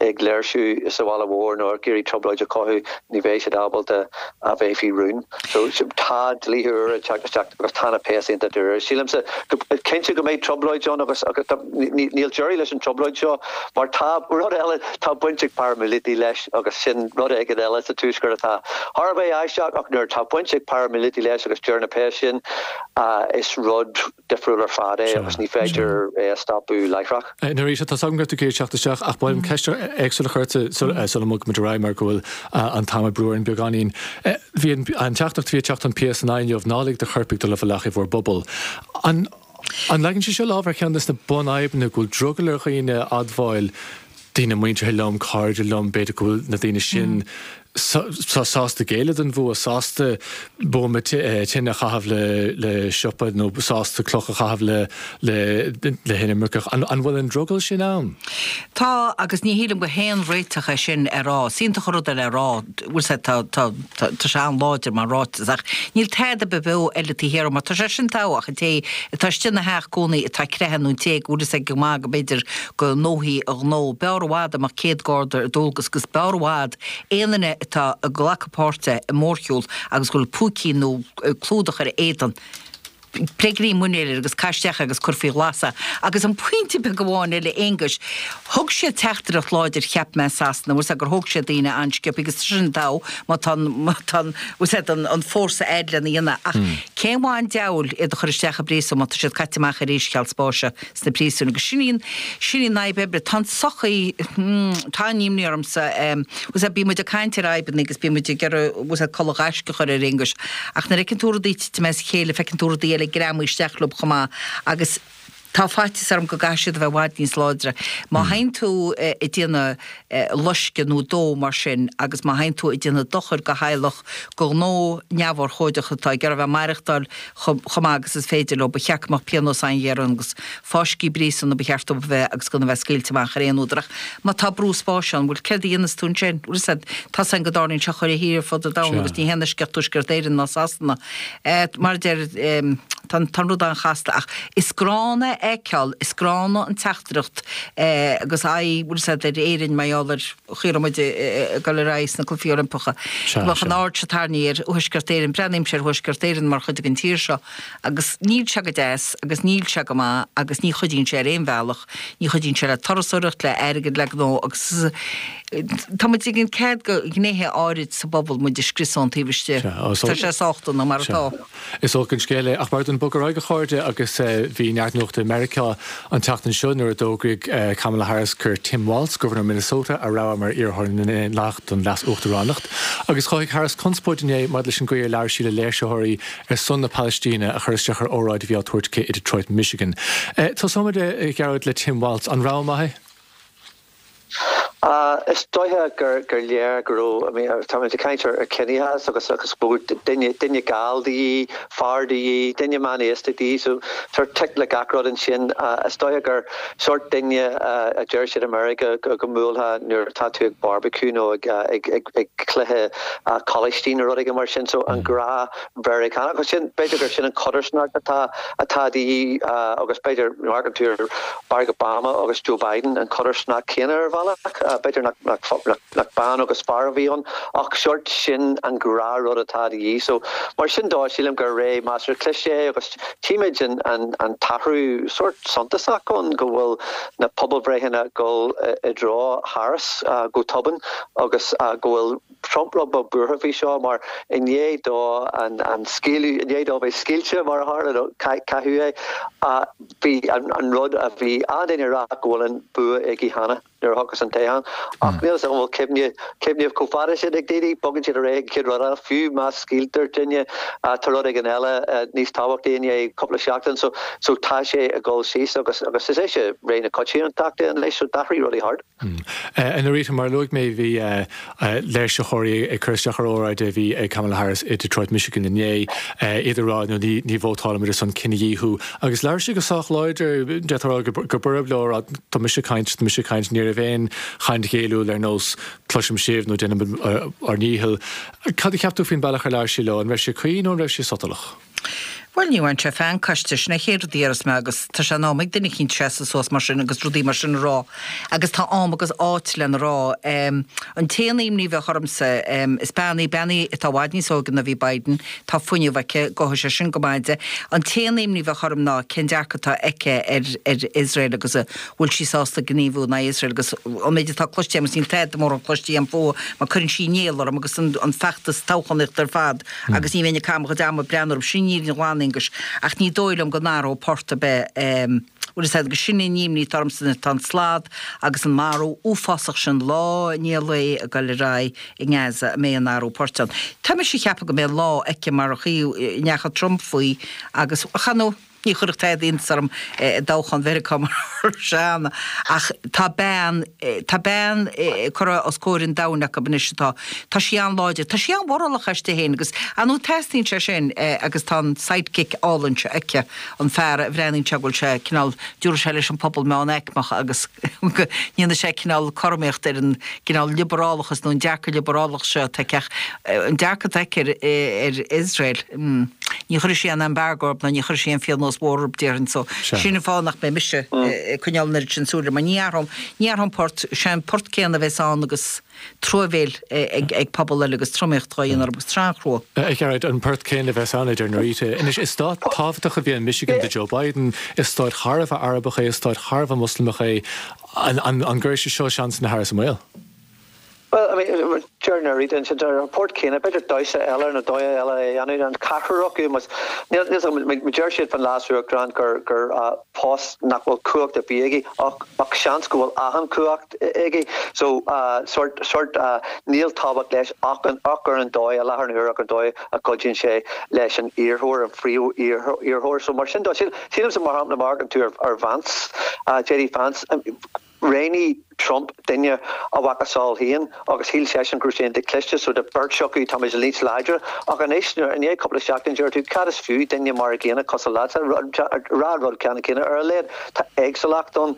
ag léirsiú sa bhaile mhór nó ag iarraidh trioblóid a chothú ní bheidh siad ábalta a bheith faoi rún. So tá dlíthe úra ag teacht isteach agus tá na péas iontach dáiríre. Sílimse go cinnte go mbeidh trioblóid ann agus agus níl deireadh leis an trioblóid seo mar tá rud eile Tá baint ag paraimíleataigh leis agus sin rud éigin eile sa Tuaisceart atá thar a bheith aisteach ach nuair atá baint ag paraimíleataigh leis agus deir na péas sin, is rud difriúil ar fad é agus ní féidir é a stopadh láithreach. Norita, tá 's agam go raibh tú ag iarraidh teacht isteach ach ba mhaith liom ceist éagsúil a chur ort sula mbogfaimid ar aghaidh mar go bhfuil an t-am ag brú orainn beagáinín. Bhí an teachtaireacht a bhí ag teacht ón PSNI inniu, ná lig do choirpigh dul i bhfolach i bhur bpobal. An An leagann sé seo lámh ar cheann de na bunfhadhbanna, go bhfuil drogall ar dhaoine admháil, daoine muinteartha liom, cairde liom, b'fhéidir go bhfuil na daoine sin sásta géilleadh don bhfuath, sásta buama tine a chaitheamh le siopa nó sásta cloch a chaitheamh le hinimirceach. An bhfuil an drogall sin ann? Tá, agus ní shílim go haon réiteach é sin a rá. Is iontach an rud é le rá, bhfuil sé, tá, tá, tá sé an-láidir mar ráiteas ach níl tada beo eile taobh thiar mar tá sé sin togha ach an té atá istigh ina theach i gcónaí atá ag creathadh nó an té go bhfuil fhios aige go maith go mb'fhéidir go ndófaí a ghnó. B'fhearr i bhfad dá mbeadh 100 garda ar dualgas agus b'fhearr i bhfad aon duine atá ag glacadh páirte i mórshiúl agus go bhfuil púicín nó clúdach ar a éadan. Pléigh muinéal air agus caith isteach agus cuir faoi ghlas é. Agus an pointe beag amháin eile, Aonghais, thug siad teachtaireacht láidir cheap mé i Sasana, bhfuil 's a'd gur thóg siad daoine an-sciobtha agus tá sin togha má tá an, má tá an, bhfuil 's a'd an, an fórsa a'd lena dhéanamh ach cén mhaith an diabhal iad a chur isteach i bpríosún má tá siad caite amach arís cheal spáis sna príosúin agus sin í an, sin í an fhadhb oibre. Tá an tsochaí, hmm, tá an-imní ormsa, bhfuil 's a'd bíonn muid ag caint ar fhadhbanna agus bíonn muid ag iarraidh, bhfuil 's a'd culaith ghaisce a chur ar Aonghus ach nuair a fheiceann tú rudaí ag titim as a chéile feiceann tú rudaí eile ag greamú isteach leo chomh maith agus. Tá faitíos orm go gcaithfidh siad a bheith i bhfad níos láidre. Má théann tú ag déanamh loisceadh nó dó mar sin agus má théann tú ag déanamh dochair do theaghlach, do ghnó neamhurchóideach atá ag iarraidh a bheith ag maireachtáil chomh maith agus is féidir leo, ba cheart go mbeadh pionós an-ghéar ann agus fáiscthe bpríosún ba cheart dóibh a bheith agus gan a bheith scaoilte amach ar aon údar. Ach má tá brú spáis ann, bhuel céard a dhéanfas tú ansin? Bhfuil a fhios agat, tá a fhios againn go dtarlaíonn sé chuile thír ar fud an domhain agus ní haon eisceacht Tuaisceart Éireann ná Sasana. Mar a deir, tá an rud an-chasta ach is gránna a fheiceáil, is gránna an teachtaireacht agus aghaidh, bhfuil a fhios agat, ar Éirinn mar gheall ar chaoi a raibh muid ag dul ar aghaidh sna Cluichí Oilimpeacha. Go mbeadh an aird seo tarraingthe ar Thuaisceart Éireann. Breathnaímse ar Thuaisceart Éireann mar chuid den tír seo agus níl sé go deas agus níl sé go maith agus ní chuidíonn sé ar aon bhealach, ní chuidíonn sé le turasóireacht, le airgead, le gnó agus tá muid ag ligean cead do ghnéithe áirid sa bpobal muid a scriosadh ón taobh istigh. Tá sé sách dona mar atá. Is olc an scéal é, ach b'fhearr dúinn bogadh ar aghaidh a chairde agus bhí neart nuachta i Meiriceá an tseachtain seo nuair a d'fhógraigh Kamala Harris gur Tim Walz, Gobharnóir Minnesota, a rogha mar iarrthóir na nDaonlathach don leas-uachtaránacht. Agus chothaigh Harris conspóid inné maidir leis an gcaoi ar labhair sí le léirsitheoirí ar son na Palaistíne a chuir isteach ar óráid a bhí á tabhairt aici i Detroit, Michigan. Tosóimid, a Ghearóid, le Tim Walz. An rogha maith é? Is dóiche gur léir go raibh, I mean, táimid ag caint ar chiníochas agus agus go raibh duine, duine geal de dhíth, fear de dhíth, duine meánaosta de dhíth, so sort tic le gach rud ansin. Is dóiche gur sort duine a deir siad i Meiriceá go go mbuailfeá nuair atá tú ag barbecue nó ag ag ag ag cluiche coláistí nó rud éigin mar sin, so an gnáth Mheiriceánach. Agus sin, b'fhéidir gur sin an chodarsnacht atá, atá de dhíth agus b'fhéidir, má amharcann tú ar Barack Obama agus Joe Biden, an chodarsnacht chéanna ar bhealach. B'fhéidir nach, nach, nach, nach bean agus fear a bhí ann ach sórt sin an gnáthrud atá de dhíth. So, mar sin dó, sílim gur ré measartha cliste é agus tchímid an, an, an t-athrú sórt suntasach ann go bhfuil na pobalbhreitheanna ag dul i dtreo Harris go tobann agus go bhfuil Trump rud beag buartha faoi seo mar i ndiaidh dó an scaoileadh, i ndiaidh dó bheith scaoilte mar a tharla nó caitheadh é, bhí an rud a bhí an-duine ag rá go bhfuil an bua aige cheana nuair a thiocfas an toghchán. Ach níl 'fhios agam an bhfuil cuimhne, cuimhneamh chomh fada sin ag daoine, bogann siad ar aghaidh an chéad rud eile, fiú má scaoiltear duine tá rud éigin eile níos tábhachtaí i ndiaidh cúpla seachtain so, so tá sé ag dul síos agus agus is é seo ré na coitiantachta anois so d'athraigh rudaí thart. A Norita, mar a luaigh mé, bhí léirsitheoirí ag cur isteach ar óráid a bhí ag Kamala Harris i Detroit, Michigan inné, iad ag rá nó ní vótálfaimid ar son cinedhíothú. Agus labhair sí go sách láidir, d'fhéadfá a rá go borb leo, ag rá tá mise ag caint, tá mise ag caint, ní raibh aon chaint ghéilliúil ar nós cloisim sibh nó déanaimid ár ndícheall. Cad a cheap tú faoin bealach ar labhair sí leo? An raibh sé cuí nó an raibh sé sotalach? Bhuel, ní bhain sé feanc aisti, sin an chéad rud a déarfas mé agus tá sé in am ag duine eicínt seasamh suas mar sin agus rudaí mar sin a rá agus tá am agus áit lena rá. An t-aon imní a bheadh ormsa, is bean í, bean í atá i bhfad níos óige ná bhí Biden, tá fuinneamh aici, gabhfaidh sé sin go maith di. An t-aon imní a bheadh orm ná cén dearcadh atá aici ar ar Iosrael agus an bhfuil sí sásta gníomhú in aghaidh Iosrael agus an méid atá cloiste agam agus níl tada mórán cloiste agam fúithi mar cuireann sí néal orm agus an feachtas toghchánaíochta ar fad. Agus ní bheinn ag caitheamh mo chuid ama ag breathnú orthu, sin an fhírinne ghlan, a Aonghuis, ach ní dóigh liom go n-athródh port ar bith, bhfuil fhios agat, agus sin an imní atá ormsa anois, tá an slad agus an marú uafásach sin lá i ndiaidh lae ag goil ar aghaidh i nGaza, an mbeidh aon athrú poirt ann. Tá mise ag ceapadh go mbeidh lá aici mar an chaoi a ndeachaigh Trump faoi agus, chan, Ní chuirfeadh tada iontas orm i dtoghchán Mheiriceá mar sin ach tá bean, tá bean curtha os comhair an domhain acu anois atá, tá sí an-láidir, tá sí an-mhorálach aisti féin agus ar ndóigh teastaíonn sé sin agus tá an sidekick álainn seo aici, an fear a bhreathnaíonn sé go bhfuil sé cineál, dtiúrfaidh sé leis an pobal meánaicmeach agus go ndéanfaidh sé cineál cothromaíocht ar an gcineál liobrálachas nó an dearcadh liobrálach seo atá aici ach an dearcadh atá aici ar ar Iosrael, ní chuirfidh sí aon embargo orthu ná ní chuirfidh sí aon phionós mhór orthu déarfainn so sin an fáth nach mbeidh mise ag coinneáil an oiread sin súile mar ní athróidh ní athróidh an port, sé an port céanna a bheas ann agus truamhéil ag pobal eile agus tromaíocht á dhéanamh orthu agus tá sé an-chrua. A Ghearóid, an port céanna a bheas ann, a deir Norita. Anois, is stát tábhachtach a bhí in Michigan do Joe Biden, is stát thar a bheith Arabach é, is stát thar a bheith Moslamach é. An gcuirfidh sé seo seansanna Harris i mbaol? Bhuel, I mean, deir Norita ansin, deir an port céanna, b'fhéidir damhsa eile nó dóigh eile a dhéanamh, an ceathrar acu, mas, níl 'fhios agam, má deir siad fán leas-uachtarán gur, gur post nach bhfuil cumhacht ar bith aige, ach, ach seans go bhfuil achan cumhacht aige, so, sort, sort, níl tábhacht leis ach an, ach ar an dóigh, i láthair na huaire ach an dóigh a gcuidíonn sé leis an iarrthóir, an phríomh-iarrthóir. So mar sin de, sílimse mar shampla má amharcann tú ar, ar Vance, JD Vance, Roghnaigh Trump duine a mhacasamhail féin agus shíl seisean go raibh sé iontach cliste so de beirt acu tá muid níos láidre. Ach anois, i ndiaidh cúpla seachtain, deir tú cad is fiú duine mar a gcéanna cosúil leatsa ag rá an rud ceannann céanna. Ar a laghad tá éagsúlacht ann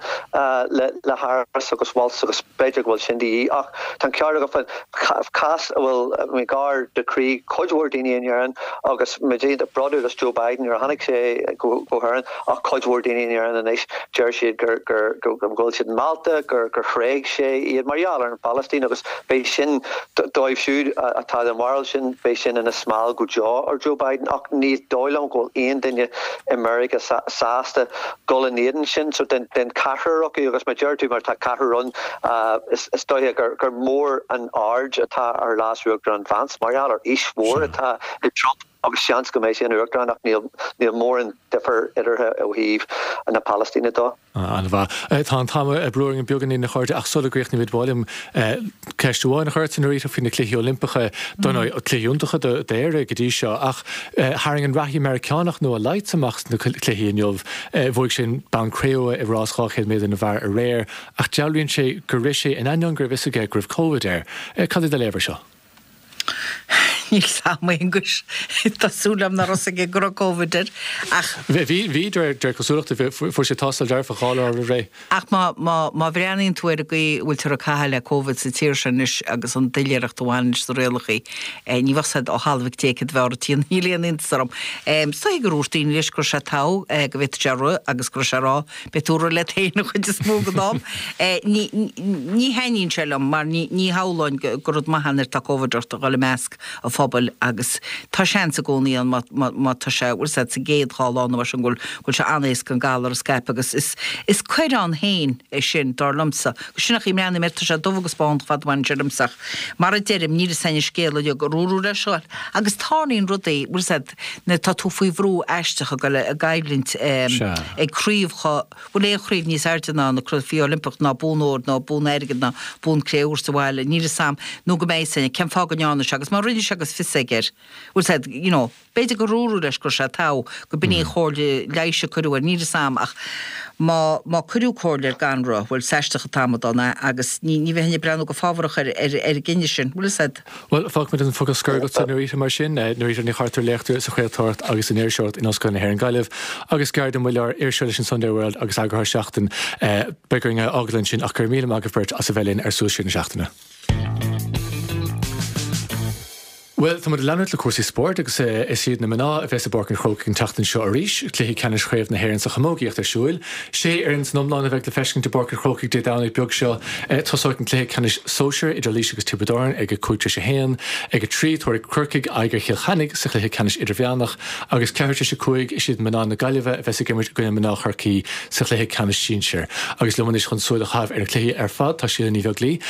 le Harris agus Walz agus b'fhéidir go bhfuil sin de dhíth. Ach tá an ceart agat faoin cás a bhfuil gar do chroí cuid mhór daoine in Éirinn agus muid iontach bródúil as Joe Biden nuair a tháinig sé go hÉirinn ach cuid mhór daoine in Éirinn anois deir siad gur gur go bhfuil siad meallta, gur gur thréig sé iad mar gheall ar an Phalaistín agus beidh sin, dóibh siúd atá den bharúil sin, beidh sin ina smál go deo ar Joe Biden ach ní dóigh liom go bhfuil aon duine i Meiriceá sásta dul in éadan sin. So den den ceathrar acu agus mar deir tú mar tá ceathrar ann is is dóiche gur gur mór an aird atá ar Leas-Uachtarán Vance mar gheall ar aois mhór atá ag Trump. Agus seans go mbeidh sé ina Uachtarán ach níl níl mórán difear eatarthu ó thaobh na Palaistíne de. An-mhaith. Tá an t-am ag brú orainn beagáinín a chairde ach sula gcríochnaímid ba mhaith liom ceist amháin a chur ort Norita faoi na Cluichí Oilimpeacha. Dar ndóigh, cluichí iontacha d'Éire go dtí seo ach tharraing an reathaí Meiriceánach Noah Lyles amach sna cluichí inniu. Bhuaigh sé an bonn cré-umha i rás 200 méadar na bhfear aréir ach dealraíonn sé gur rith sé in ainneoin go raibh fhios aige go raibh Covid air. Cad é do léamh air seo? Níl 's a'm, a Aonghuis. Tá súil a'm nach raibh 's aige go raibh Covid air, ach. Bhí, bhí, de réir cosúlachta. Fuair sé tástáil dearfach dhá lá roimh ré. Ach má, má, má bhreathnaíonn tú ar an gcaoi a bhfuiltear ag caitheamh le Covid sa tír seo anois agus an doiléireacht a bhaineann leis na rialachaí, ní bheadh 's a'd ó thalamh ag Dé céard a bheadh ort a thiarna, níl aon iontas orm. Is dóigh gur dhúirt daoine leis go raibh sé togha, go bhféadfadh sé rith agus go raibh sé ag rá, Beidh tú ag rith leat féin an chuid is mó den am. Ní ní thaitníonn sé liom mar ní ní shamhlóinn gur rud maith é nuair atá Covid ort a dhul i measc an phobail agus tá seans i gcónaí ann má má má tá sé bhfuil 's a'd sa gcéad dhá lá nó mar sin go bhfuil go bhfuil sé an-éasca an galar a scaipeadh agus is is coir ann féin é sin dar liomsa. Sin an chaoi a mbreathnaím air, tá sé dubh agus bán fad a bhaineann sé liomsa ach mar a deirim níl 'fhios a'inn an scéal uilig ar dúradh leis a ghoil agus tarlaíonn rudaí bhfuil 's a'd Nuair atá tú faoi bhrú aisteach ag dul i gcoimhlint ag craobhacha, bhfuil aon chraobh níos airde ná na Cluichí Oilimpeacha ná bonn óir nó bonn airgid ná bonn cré-umha sa bhaile, níl 'fhios a'm, nó go mbeidh 'fhios a'inn, cén fáth go ndearna sé agus má rinne sé agus fios aige air, bhfuil 'fhios a'd, you know, b'fhéidir gur dúradh leis go raibh sé togha, go b'in í an chomhairle leighis a cuireadh air, níl 'fhios a'm ach má, má cuireadh comhairle air gan rith, bhuel, is aisteach an t-amadán é agus ní, ní bheinn ag breathnú go fábharach ar, ar, ar an gcinneadh sin, bhfuil 'fhios a'd. Bhuel, fágfaimid an focal scoir agatsa, Norita, mar sin. Norita Ní Chartúir, léachtóir sa chraoltóireacht agus san iriseoireacht in Ollscoil na hÉireann Gaillimh, agus Gearóid Ó Muilleoir, iriseoir leis an Sunday World agus eagarthóir Seachtain. Beidh orainn é a fhágáil ansin ach go raibh míle maith agaibh beirt as a bheith linn ar Suas Siar na Seachtaine. Bhuel, tá muid ag leanúint le cúrsaí spóirt agus is iad na mná a bheas i bPáirc an Chrócaigh an tseachtain seo arís, cluichí ceannais Chraobh na hÉireann sa chamógaíocht ar siúil. Sé fhoireann san iomlán a bheidh le feiscint i bPáirc an Chrócaigh Dé Domhnaigh beag seo. Tosóidh an cluiche ceannais sóisir idir Laois agus Tiobraid Árann ag a 5 tar éis a 1. Ag a 3, tabharfaidh Corcaigh aghaidh ar Chill Chainnigh sa chluiche ceannais idirmheánach agus ceathrú tar éis a 5, is iad mná na Gaillimhe a bheas ag imirt i gcoinne mná Chorcaí sa chluiche ceannais sinsir. Agus liom anois chun súil a chaitheamh ar na cluichí ar fad tá Síle Ní Bheaglaoi.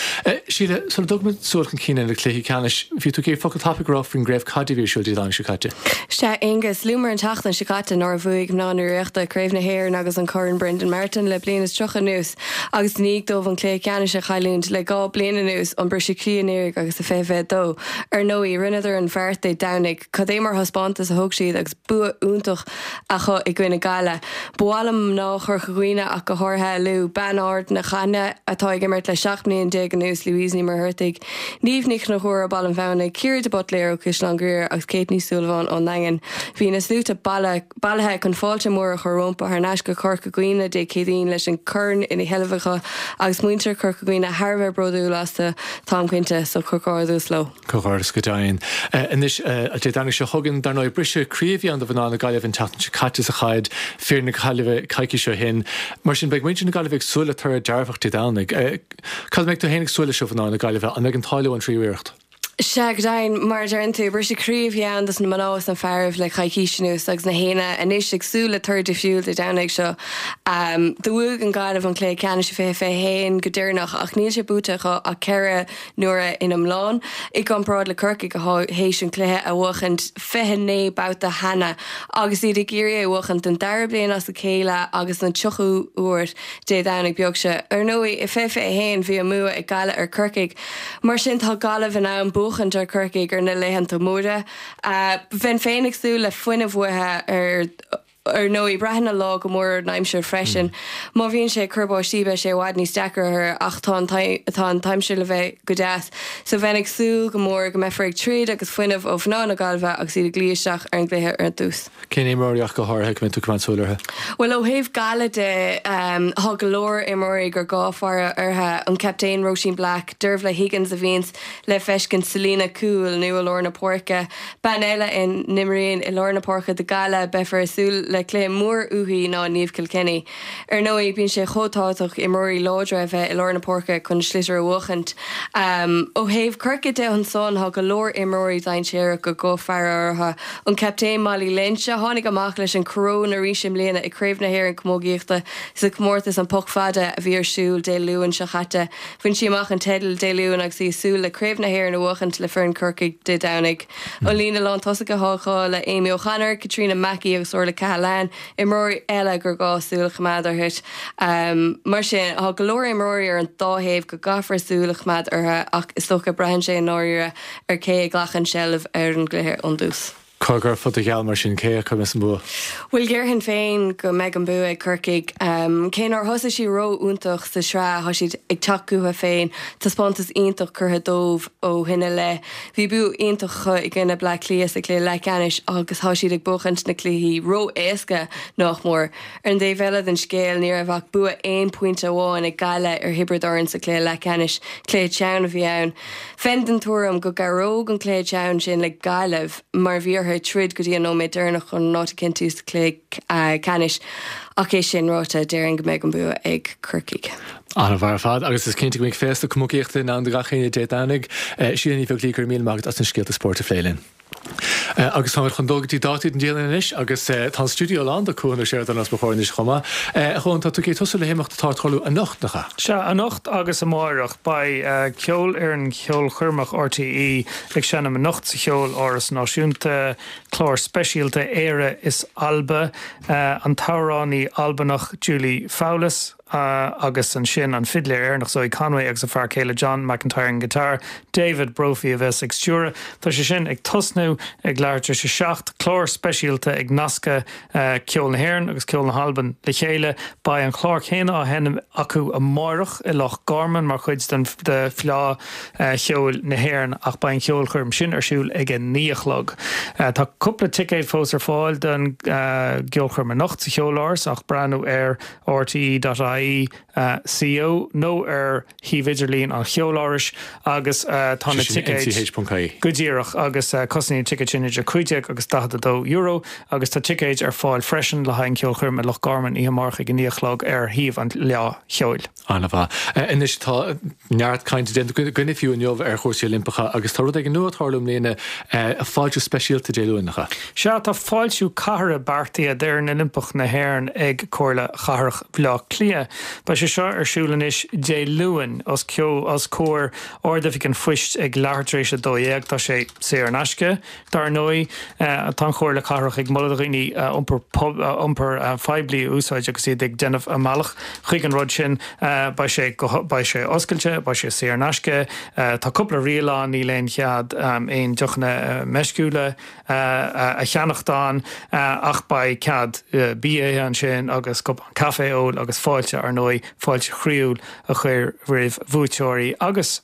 Síle, sula dtugaimid súil chun cinn ar na cluichí ceannais, bhí tú ag iarraidh focal tapaidh a rá faoin gcraobh caide a bhí ar siúl Dé Domhnaigh seo caite. Sea, Aonghus, luamar an tseachtain seo caite nuair a bhuaigh mná na Ríochta Craobh na hÉireann agus an Corn Brendan Martin le bliain is 30 anuas agus i ndiaidh dóibh an cluiche ceannais a chailliúint le 2 bliain anuas, an briseadh croí anuraidh agus i 2022. Ar ndóigh, rinneadar an bheart Dé Domhnaigh. Cad é mar thaispeántas a thug siad agus bua iontach acu i gcoinne Gaillimh. Ba mhaith liom mná Chorca Dhuibhne ach go háirithe a lua, bean Ard na Caithne atá ag imirt le 17 mbliain anuas, Louise Ní Mhuircheartaigh, Niamh Ní Chonchúir ó Baile an Bhamhnaigh, Ciara de Buitléir ó Caisleán Ghriaire agus Kate Ní Súilleabháin ón nDaingean. Bhí na sluaite bailithe chun fáilte mór a chur rompu thar n-ais go Corca Dhuibhne Dé Céadaoin leis an corn ina sheilbh acu agus muintir Chorca Dhuibhne thar a bheith bródúil astu, táim cinnte, so comhghairdeas leo. Comhghairdeas go deimhin. Anois, Dé Domhnaigh seo chugainn, dar ndóigh, briseadh croí a bhí ann do mhná na Gaillimhe an tseachtain seo caite sa chaid, fir na Gaillimhe coicís ó shin. Mar sin, beidh muintir na Gaillimhe ag súil le toradh dearfach Dé Domhnaigh. Cad a mbeidh tú féin ag súil leis ó mhná na Gaillimhe? An mbeidh an t-ádh leo an tríú iarracht? Sea, go deimhin, mar a deireann tú, briseadh croí a bhí ann dos na mná is na fearaibh le coicís anuas agus na héinne anois ag súil le toradh difriúil Dé Domhnaigh seo. Do bhuaigh an Ghaillimh an cluiche ceannais i 2021 go deireanach ach níl sé buaite acu ach 4 n-uaire in iomlán, i gcomparáid le Corcaigh athá théis an cluiche a bhuachaint 29 babhta cheana agus iad ag iarraidh é a bhuachaint don dara bliain as a chéile agus don tríochú huair Dé Domhnaigh beag seo. Ar ndóigh, i 2021 bhí an mbua ag Gaillimh ar Corcaigh. Mar sin tá Gaillimh in ann buachaint ar Chorcaigh ar na laethanta móra. Bheinn féin ag súil le fuinneamh uathu ar ar ndóigh. Braitheann an lá go mór ar an aimsir freisin. Má bhíonn sé ag cur báistí beidh sé i bhfad níos deacra orthu ach tá an tá an t-aimsir le bheith go deas so bheinn ag súil go mór go mbeifear ag troid agus fuinneamh ó mhná na Gaillimhe agus iad ag luí isteach ar an gcluiche ar dtús. Cén imreoirí ach go háirithe go mbeidh tú ag coimeád súil orthu? Bhuel, ó thaobh Gaillimh de, tá go leor imreoirí gur gá faire orthu, an captaen Róisín Black, Dervla Higgins a bhíonns le feiscint sa líne cúil nó i lár na páirce. Bean eile a n-imríonn i lár na páirce do Gaillimh, beifear ag súil le cluiche mór uaithi ná Niamh Kilkenny. Ar ndóigh, bíonn sé chomh tábhachtach imreoirí láidre a bheith i lár na páirce chun sliotar a bhuachaint. Ó thaobh Chorcaí de ansan, tá go leor imreoirí dainséarach gur gá faire orthu. An captaen Molly Lynch, a tháinig amach leis an choróin arís i mbliana i Craobh na hÉireann Camógaíochta sa chomórtas an Poc Fada a bhí ar siúl Dé Luain seo chaite. Bhain sí amach an teideal Dé Luain agus í ag súil le Craobh na hÉireann a bhuachaint le foireann Chorcaí Dé Domhnaigh. An líne lántosaithe atá acu le Amy O'Connor, Caitríona Mackey agus Orla Cahalane, imreoirí eile gur gá súil a choimeád orthu. Mar sin, tá go leor imreoirí ar an dá thaobh go gcaithfear súil a choimeád orthu ach is dócha braitheann sé i ndáiríre ar cé a ghlacann seilbh ar an gcluiche ón dtús. Cá gcuirfeá do gheall mar sin? Cé acu a mbeas an bua? Bhuel, déarfainn féin go mbeidh an bua ag Corcaigh. Cé nár thosaigh siad ró-iontach sa sraith, tá siad ag teacht chucu féin. Taispeántas iontach curtha dóibh ó shin i leith. Bhí bua iontach acu i gcoinne Bleá Cliath sa chluiche leathcheannais agus tá siad ag buachaint na cluichí ró-éasca, nách mór. Ar an dtaobh eile den scéal, ní raibh ach bua aon pointe amháin ag Gaillimh ar Thiobraid Árann sa chluiche leathcheannais. Cluiche teann a bhí ann. Bheinn den tuairim go gcabhródh an cluiche teann sin le Gaillimh mar bhí orthu troid go dtí an nóiméad deireanach chun an áit a chinntiú sa chluiche ceannais. Ach é sin ráite, déarfainn go mbeidh an bua ag Corcaigh. An-mhaith ar fad, agus is cinnte go mbeidh féasta camógaíochta i ndán do gach éinne Dé Domhnaigh. Síle Ní Bheaglaoich, go raibh míle maith agat as na scéalta spóirt a phlé linn. Agus táimid chun dul go dtí dátaí don dialann anois, agus tá an stiúideo lán de Cuan Ó Seireadáin os mo chomhair anois chomh maith. A Chuain, tá tú ag tosú le himeacht atá ag tarlú anocht, nach ea? Sea, anocht agus amáireach. Beidh Ceolfhoireann Cheolchoirmeach RTÉ ag seinm anocht sa Cheoláras Náisiúnta, clár speisialta Éire is Alba, an t-amhránaí Albanach Julie Fowlis, agus ansin an fidléir Éireannach Zoe Conway agus a fear céile John McIntyre ar an ngiotár, David Brophy a bheas ag stiúradh. Tá sé sin ag tosnú ag leathuair tar éis a 7, clár speisialta ag nascadh ceol na hÉireann agus ceol na hAlban le chéile. Beidh an clár céanna á sheinm acu amáireach i Loch Garman mar chuid den de Fleá Cheoil na hÉireann ach beidh an cheolchoirm sin ar siúl ag a 9 a chlog. Tá cúpla ticéad fós ar fáil don gceolchoirm anocht sa Cheoláras ach breathnú ar rte.ie, co nó ar shuíomh idirlín an Cheolárais agus tá na ticéid. nch.ie. Go díreach, agus cosnaíonn na ticéid sin idir 15 agus €42 agus tá ticéid ar fáil freisin le haghaidh an cheolchoirm i Loch Garman oíche amárach ag a 9 a chlog ar shuíomh an Fhleá Cheoil. An-mhaith. Anois tá neart cainte déanta againne fiú inniu ar chúrsaí Oilimpeacha agus tá rud éigin nua ag tarlú i mbliana, fáiltiú speisialta Dé Luain, nach ea? Sea, tá fáiltiú cathartha beartaithe d'fhoireann Oilimpeach na hÉireann ag Comhairle Chathrach Bhaile Átha Cliath. Beidh sé seo ar siúl anois Dé Luain os comhair Ard-Oifig an Phoist ag leathuair tar éis 12. Tá sé saor in aisce. Dar ndóigh, tá an Chomhairle Cathrach ag moladh do dhaoine iompar poiblí a úsáid agus iad ag déanamh a mbealach chuig an rud sin. Beidh sé beidh sé oscailte, beidh sé saor in aisce. Tá cúpla riail ann, níl aon chead aon deochanna meisciúla a cheannacht ann ach beidh cead bia a ithe ansin agus cupán caife a ól agus fáilte, ar ndóigh, fáilte chroíúil a chur roimh bhuaiteoirí agus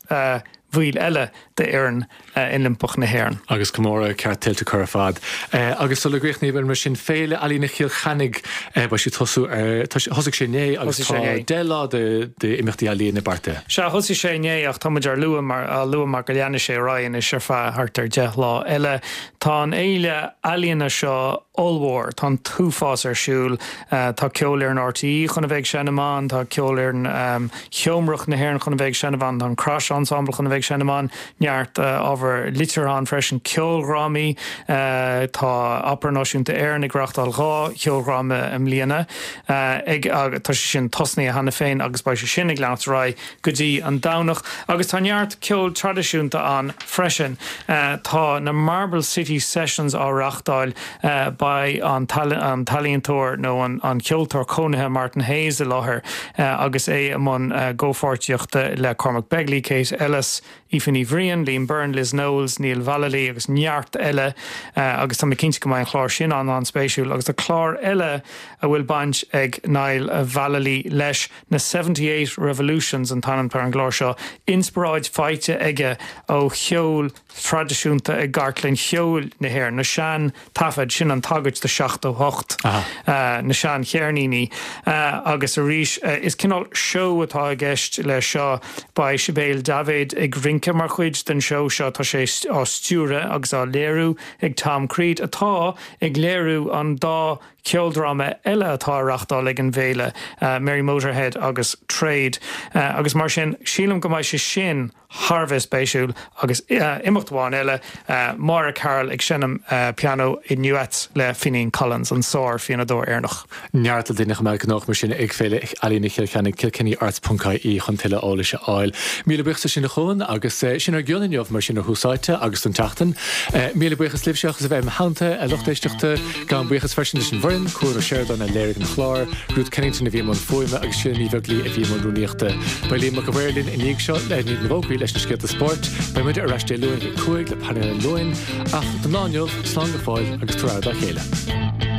bhaill eile d'fhoireann Oilimpeach na hÉireann. Agus comóradh ceart tuillte acu ar fad. Agus sula gcríochnaím, mar sin, Féile Ealaíne Chill Chainnigh, beidh sí ag tosú ar, thosaigh sé inné agus tá 10 lá d'imeachtaí ealaíne beartaithe. Sea, thosaigh sé inné ach tá muid ar lua mar, á lua mar go leanfaidh sé ar aghaidh anois ar feadh thart ar 10 lá eile. Tá an fhéile ealaíona seo. ollmhór. Tá an t-uafás ar siúl. Tá Ceolfhoireann RTÉ chun a bheith ag seinm ann, tá Ceolfhoireann Sheomrach na hÉireann chun a bheith ag seinm ann, tá an Crash Ensemble chun a bheith ag seinm ann, neart ábhar liteartha ann freisin, ceoldrámaí. Tá Opera Náisiúnta Éireann ag reáchtáil 2 cheoldráma i mbliana. Ag, tá sé sin tosnaithe cheana féin agus beidh sé sin ag leanacht ar aghaidh go dtí an Domhnach. Agus tá neart ceol traidisiúnta ann freisin. Tá na Marble City Sessions á reáchtáil. Beidh an t-ealaíontóir nó an ceoltóir cónaithe Martin Hayes i láthair agus é i mbun comhpháirtíochta le Cormac Begley, Kate Ellis, Aoife Ní Bhriain, Liam Byrne, Liz Knowles, Niall Vallely agus neart eile agus tá mé cinnte go mbeidh an clár sin an-an-spéisiúil. Agus tá clár eile a bhfuil baint ag Niall Vallely leis, na 78 Revolutions an t-ainm atá ar an gclár seo, inspioráid faighte aige ó cheol traidisiúnta i gcartlann cheoil na hÉireann, na sean taifid, sin an tagairt do 78, na sean cheirníní. Agus arís, is cineál seó atá i gceist leis seo. Beidh Sibéal Daibhéid ag rince mar chuid den seó seo. Tá sé á stiúradh agus á léiriú ag Tom Creed, atá ag léiriú an dá cheoldráma eile atá á reachtáil ag an bhféile, Merry Motörhead agus Trade. Agus mar sin, sílim go mbeidh sé sin thar a bheith spéisiúil agus imeacht amháin eile, Máire Carroll ag seinm pianó i nduet le Finghin Collins, an sár-phianódóir Éireannach. Neart le déanamh chomh maith gnóthach mar sin ag Féile Ealaíne Chill Chainnigh, kilkennyarts ponc ie chun tuilleadh eolais a fháil. Míle buíochas as sin a Chuan agus sin ár gcion inniu mar sin ar Thús Áite agus don tseachtain. Míle buíochas libhse as a bheith im theannta, a lucht éisteachta. Gabhaim buíochas freisin leis an bhfoireann, Cuan Ó Seireadáin a léirigh an clár, Ruth Kennington a bhí i mbun fuaime agus Síle Ní Bheaglaoi a bhí i mbun rúnaíochta. Beidh Liam Mac a' Mhaoir linn i ndiaidh seo, i ndiaidh na bhfógraí leis na scéalta spóirt. Beidh muide ar ais Dé Luain ag 5 le painéal an Luain. Ach don lá inniu, slán go fóill agus tabhair aire dá chéile.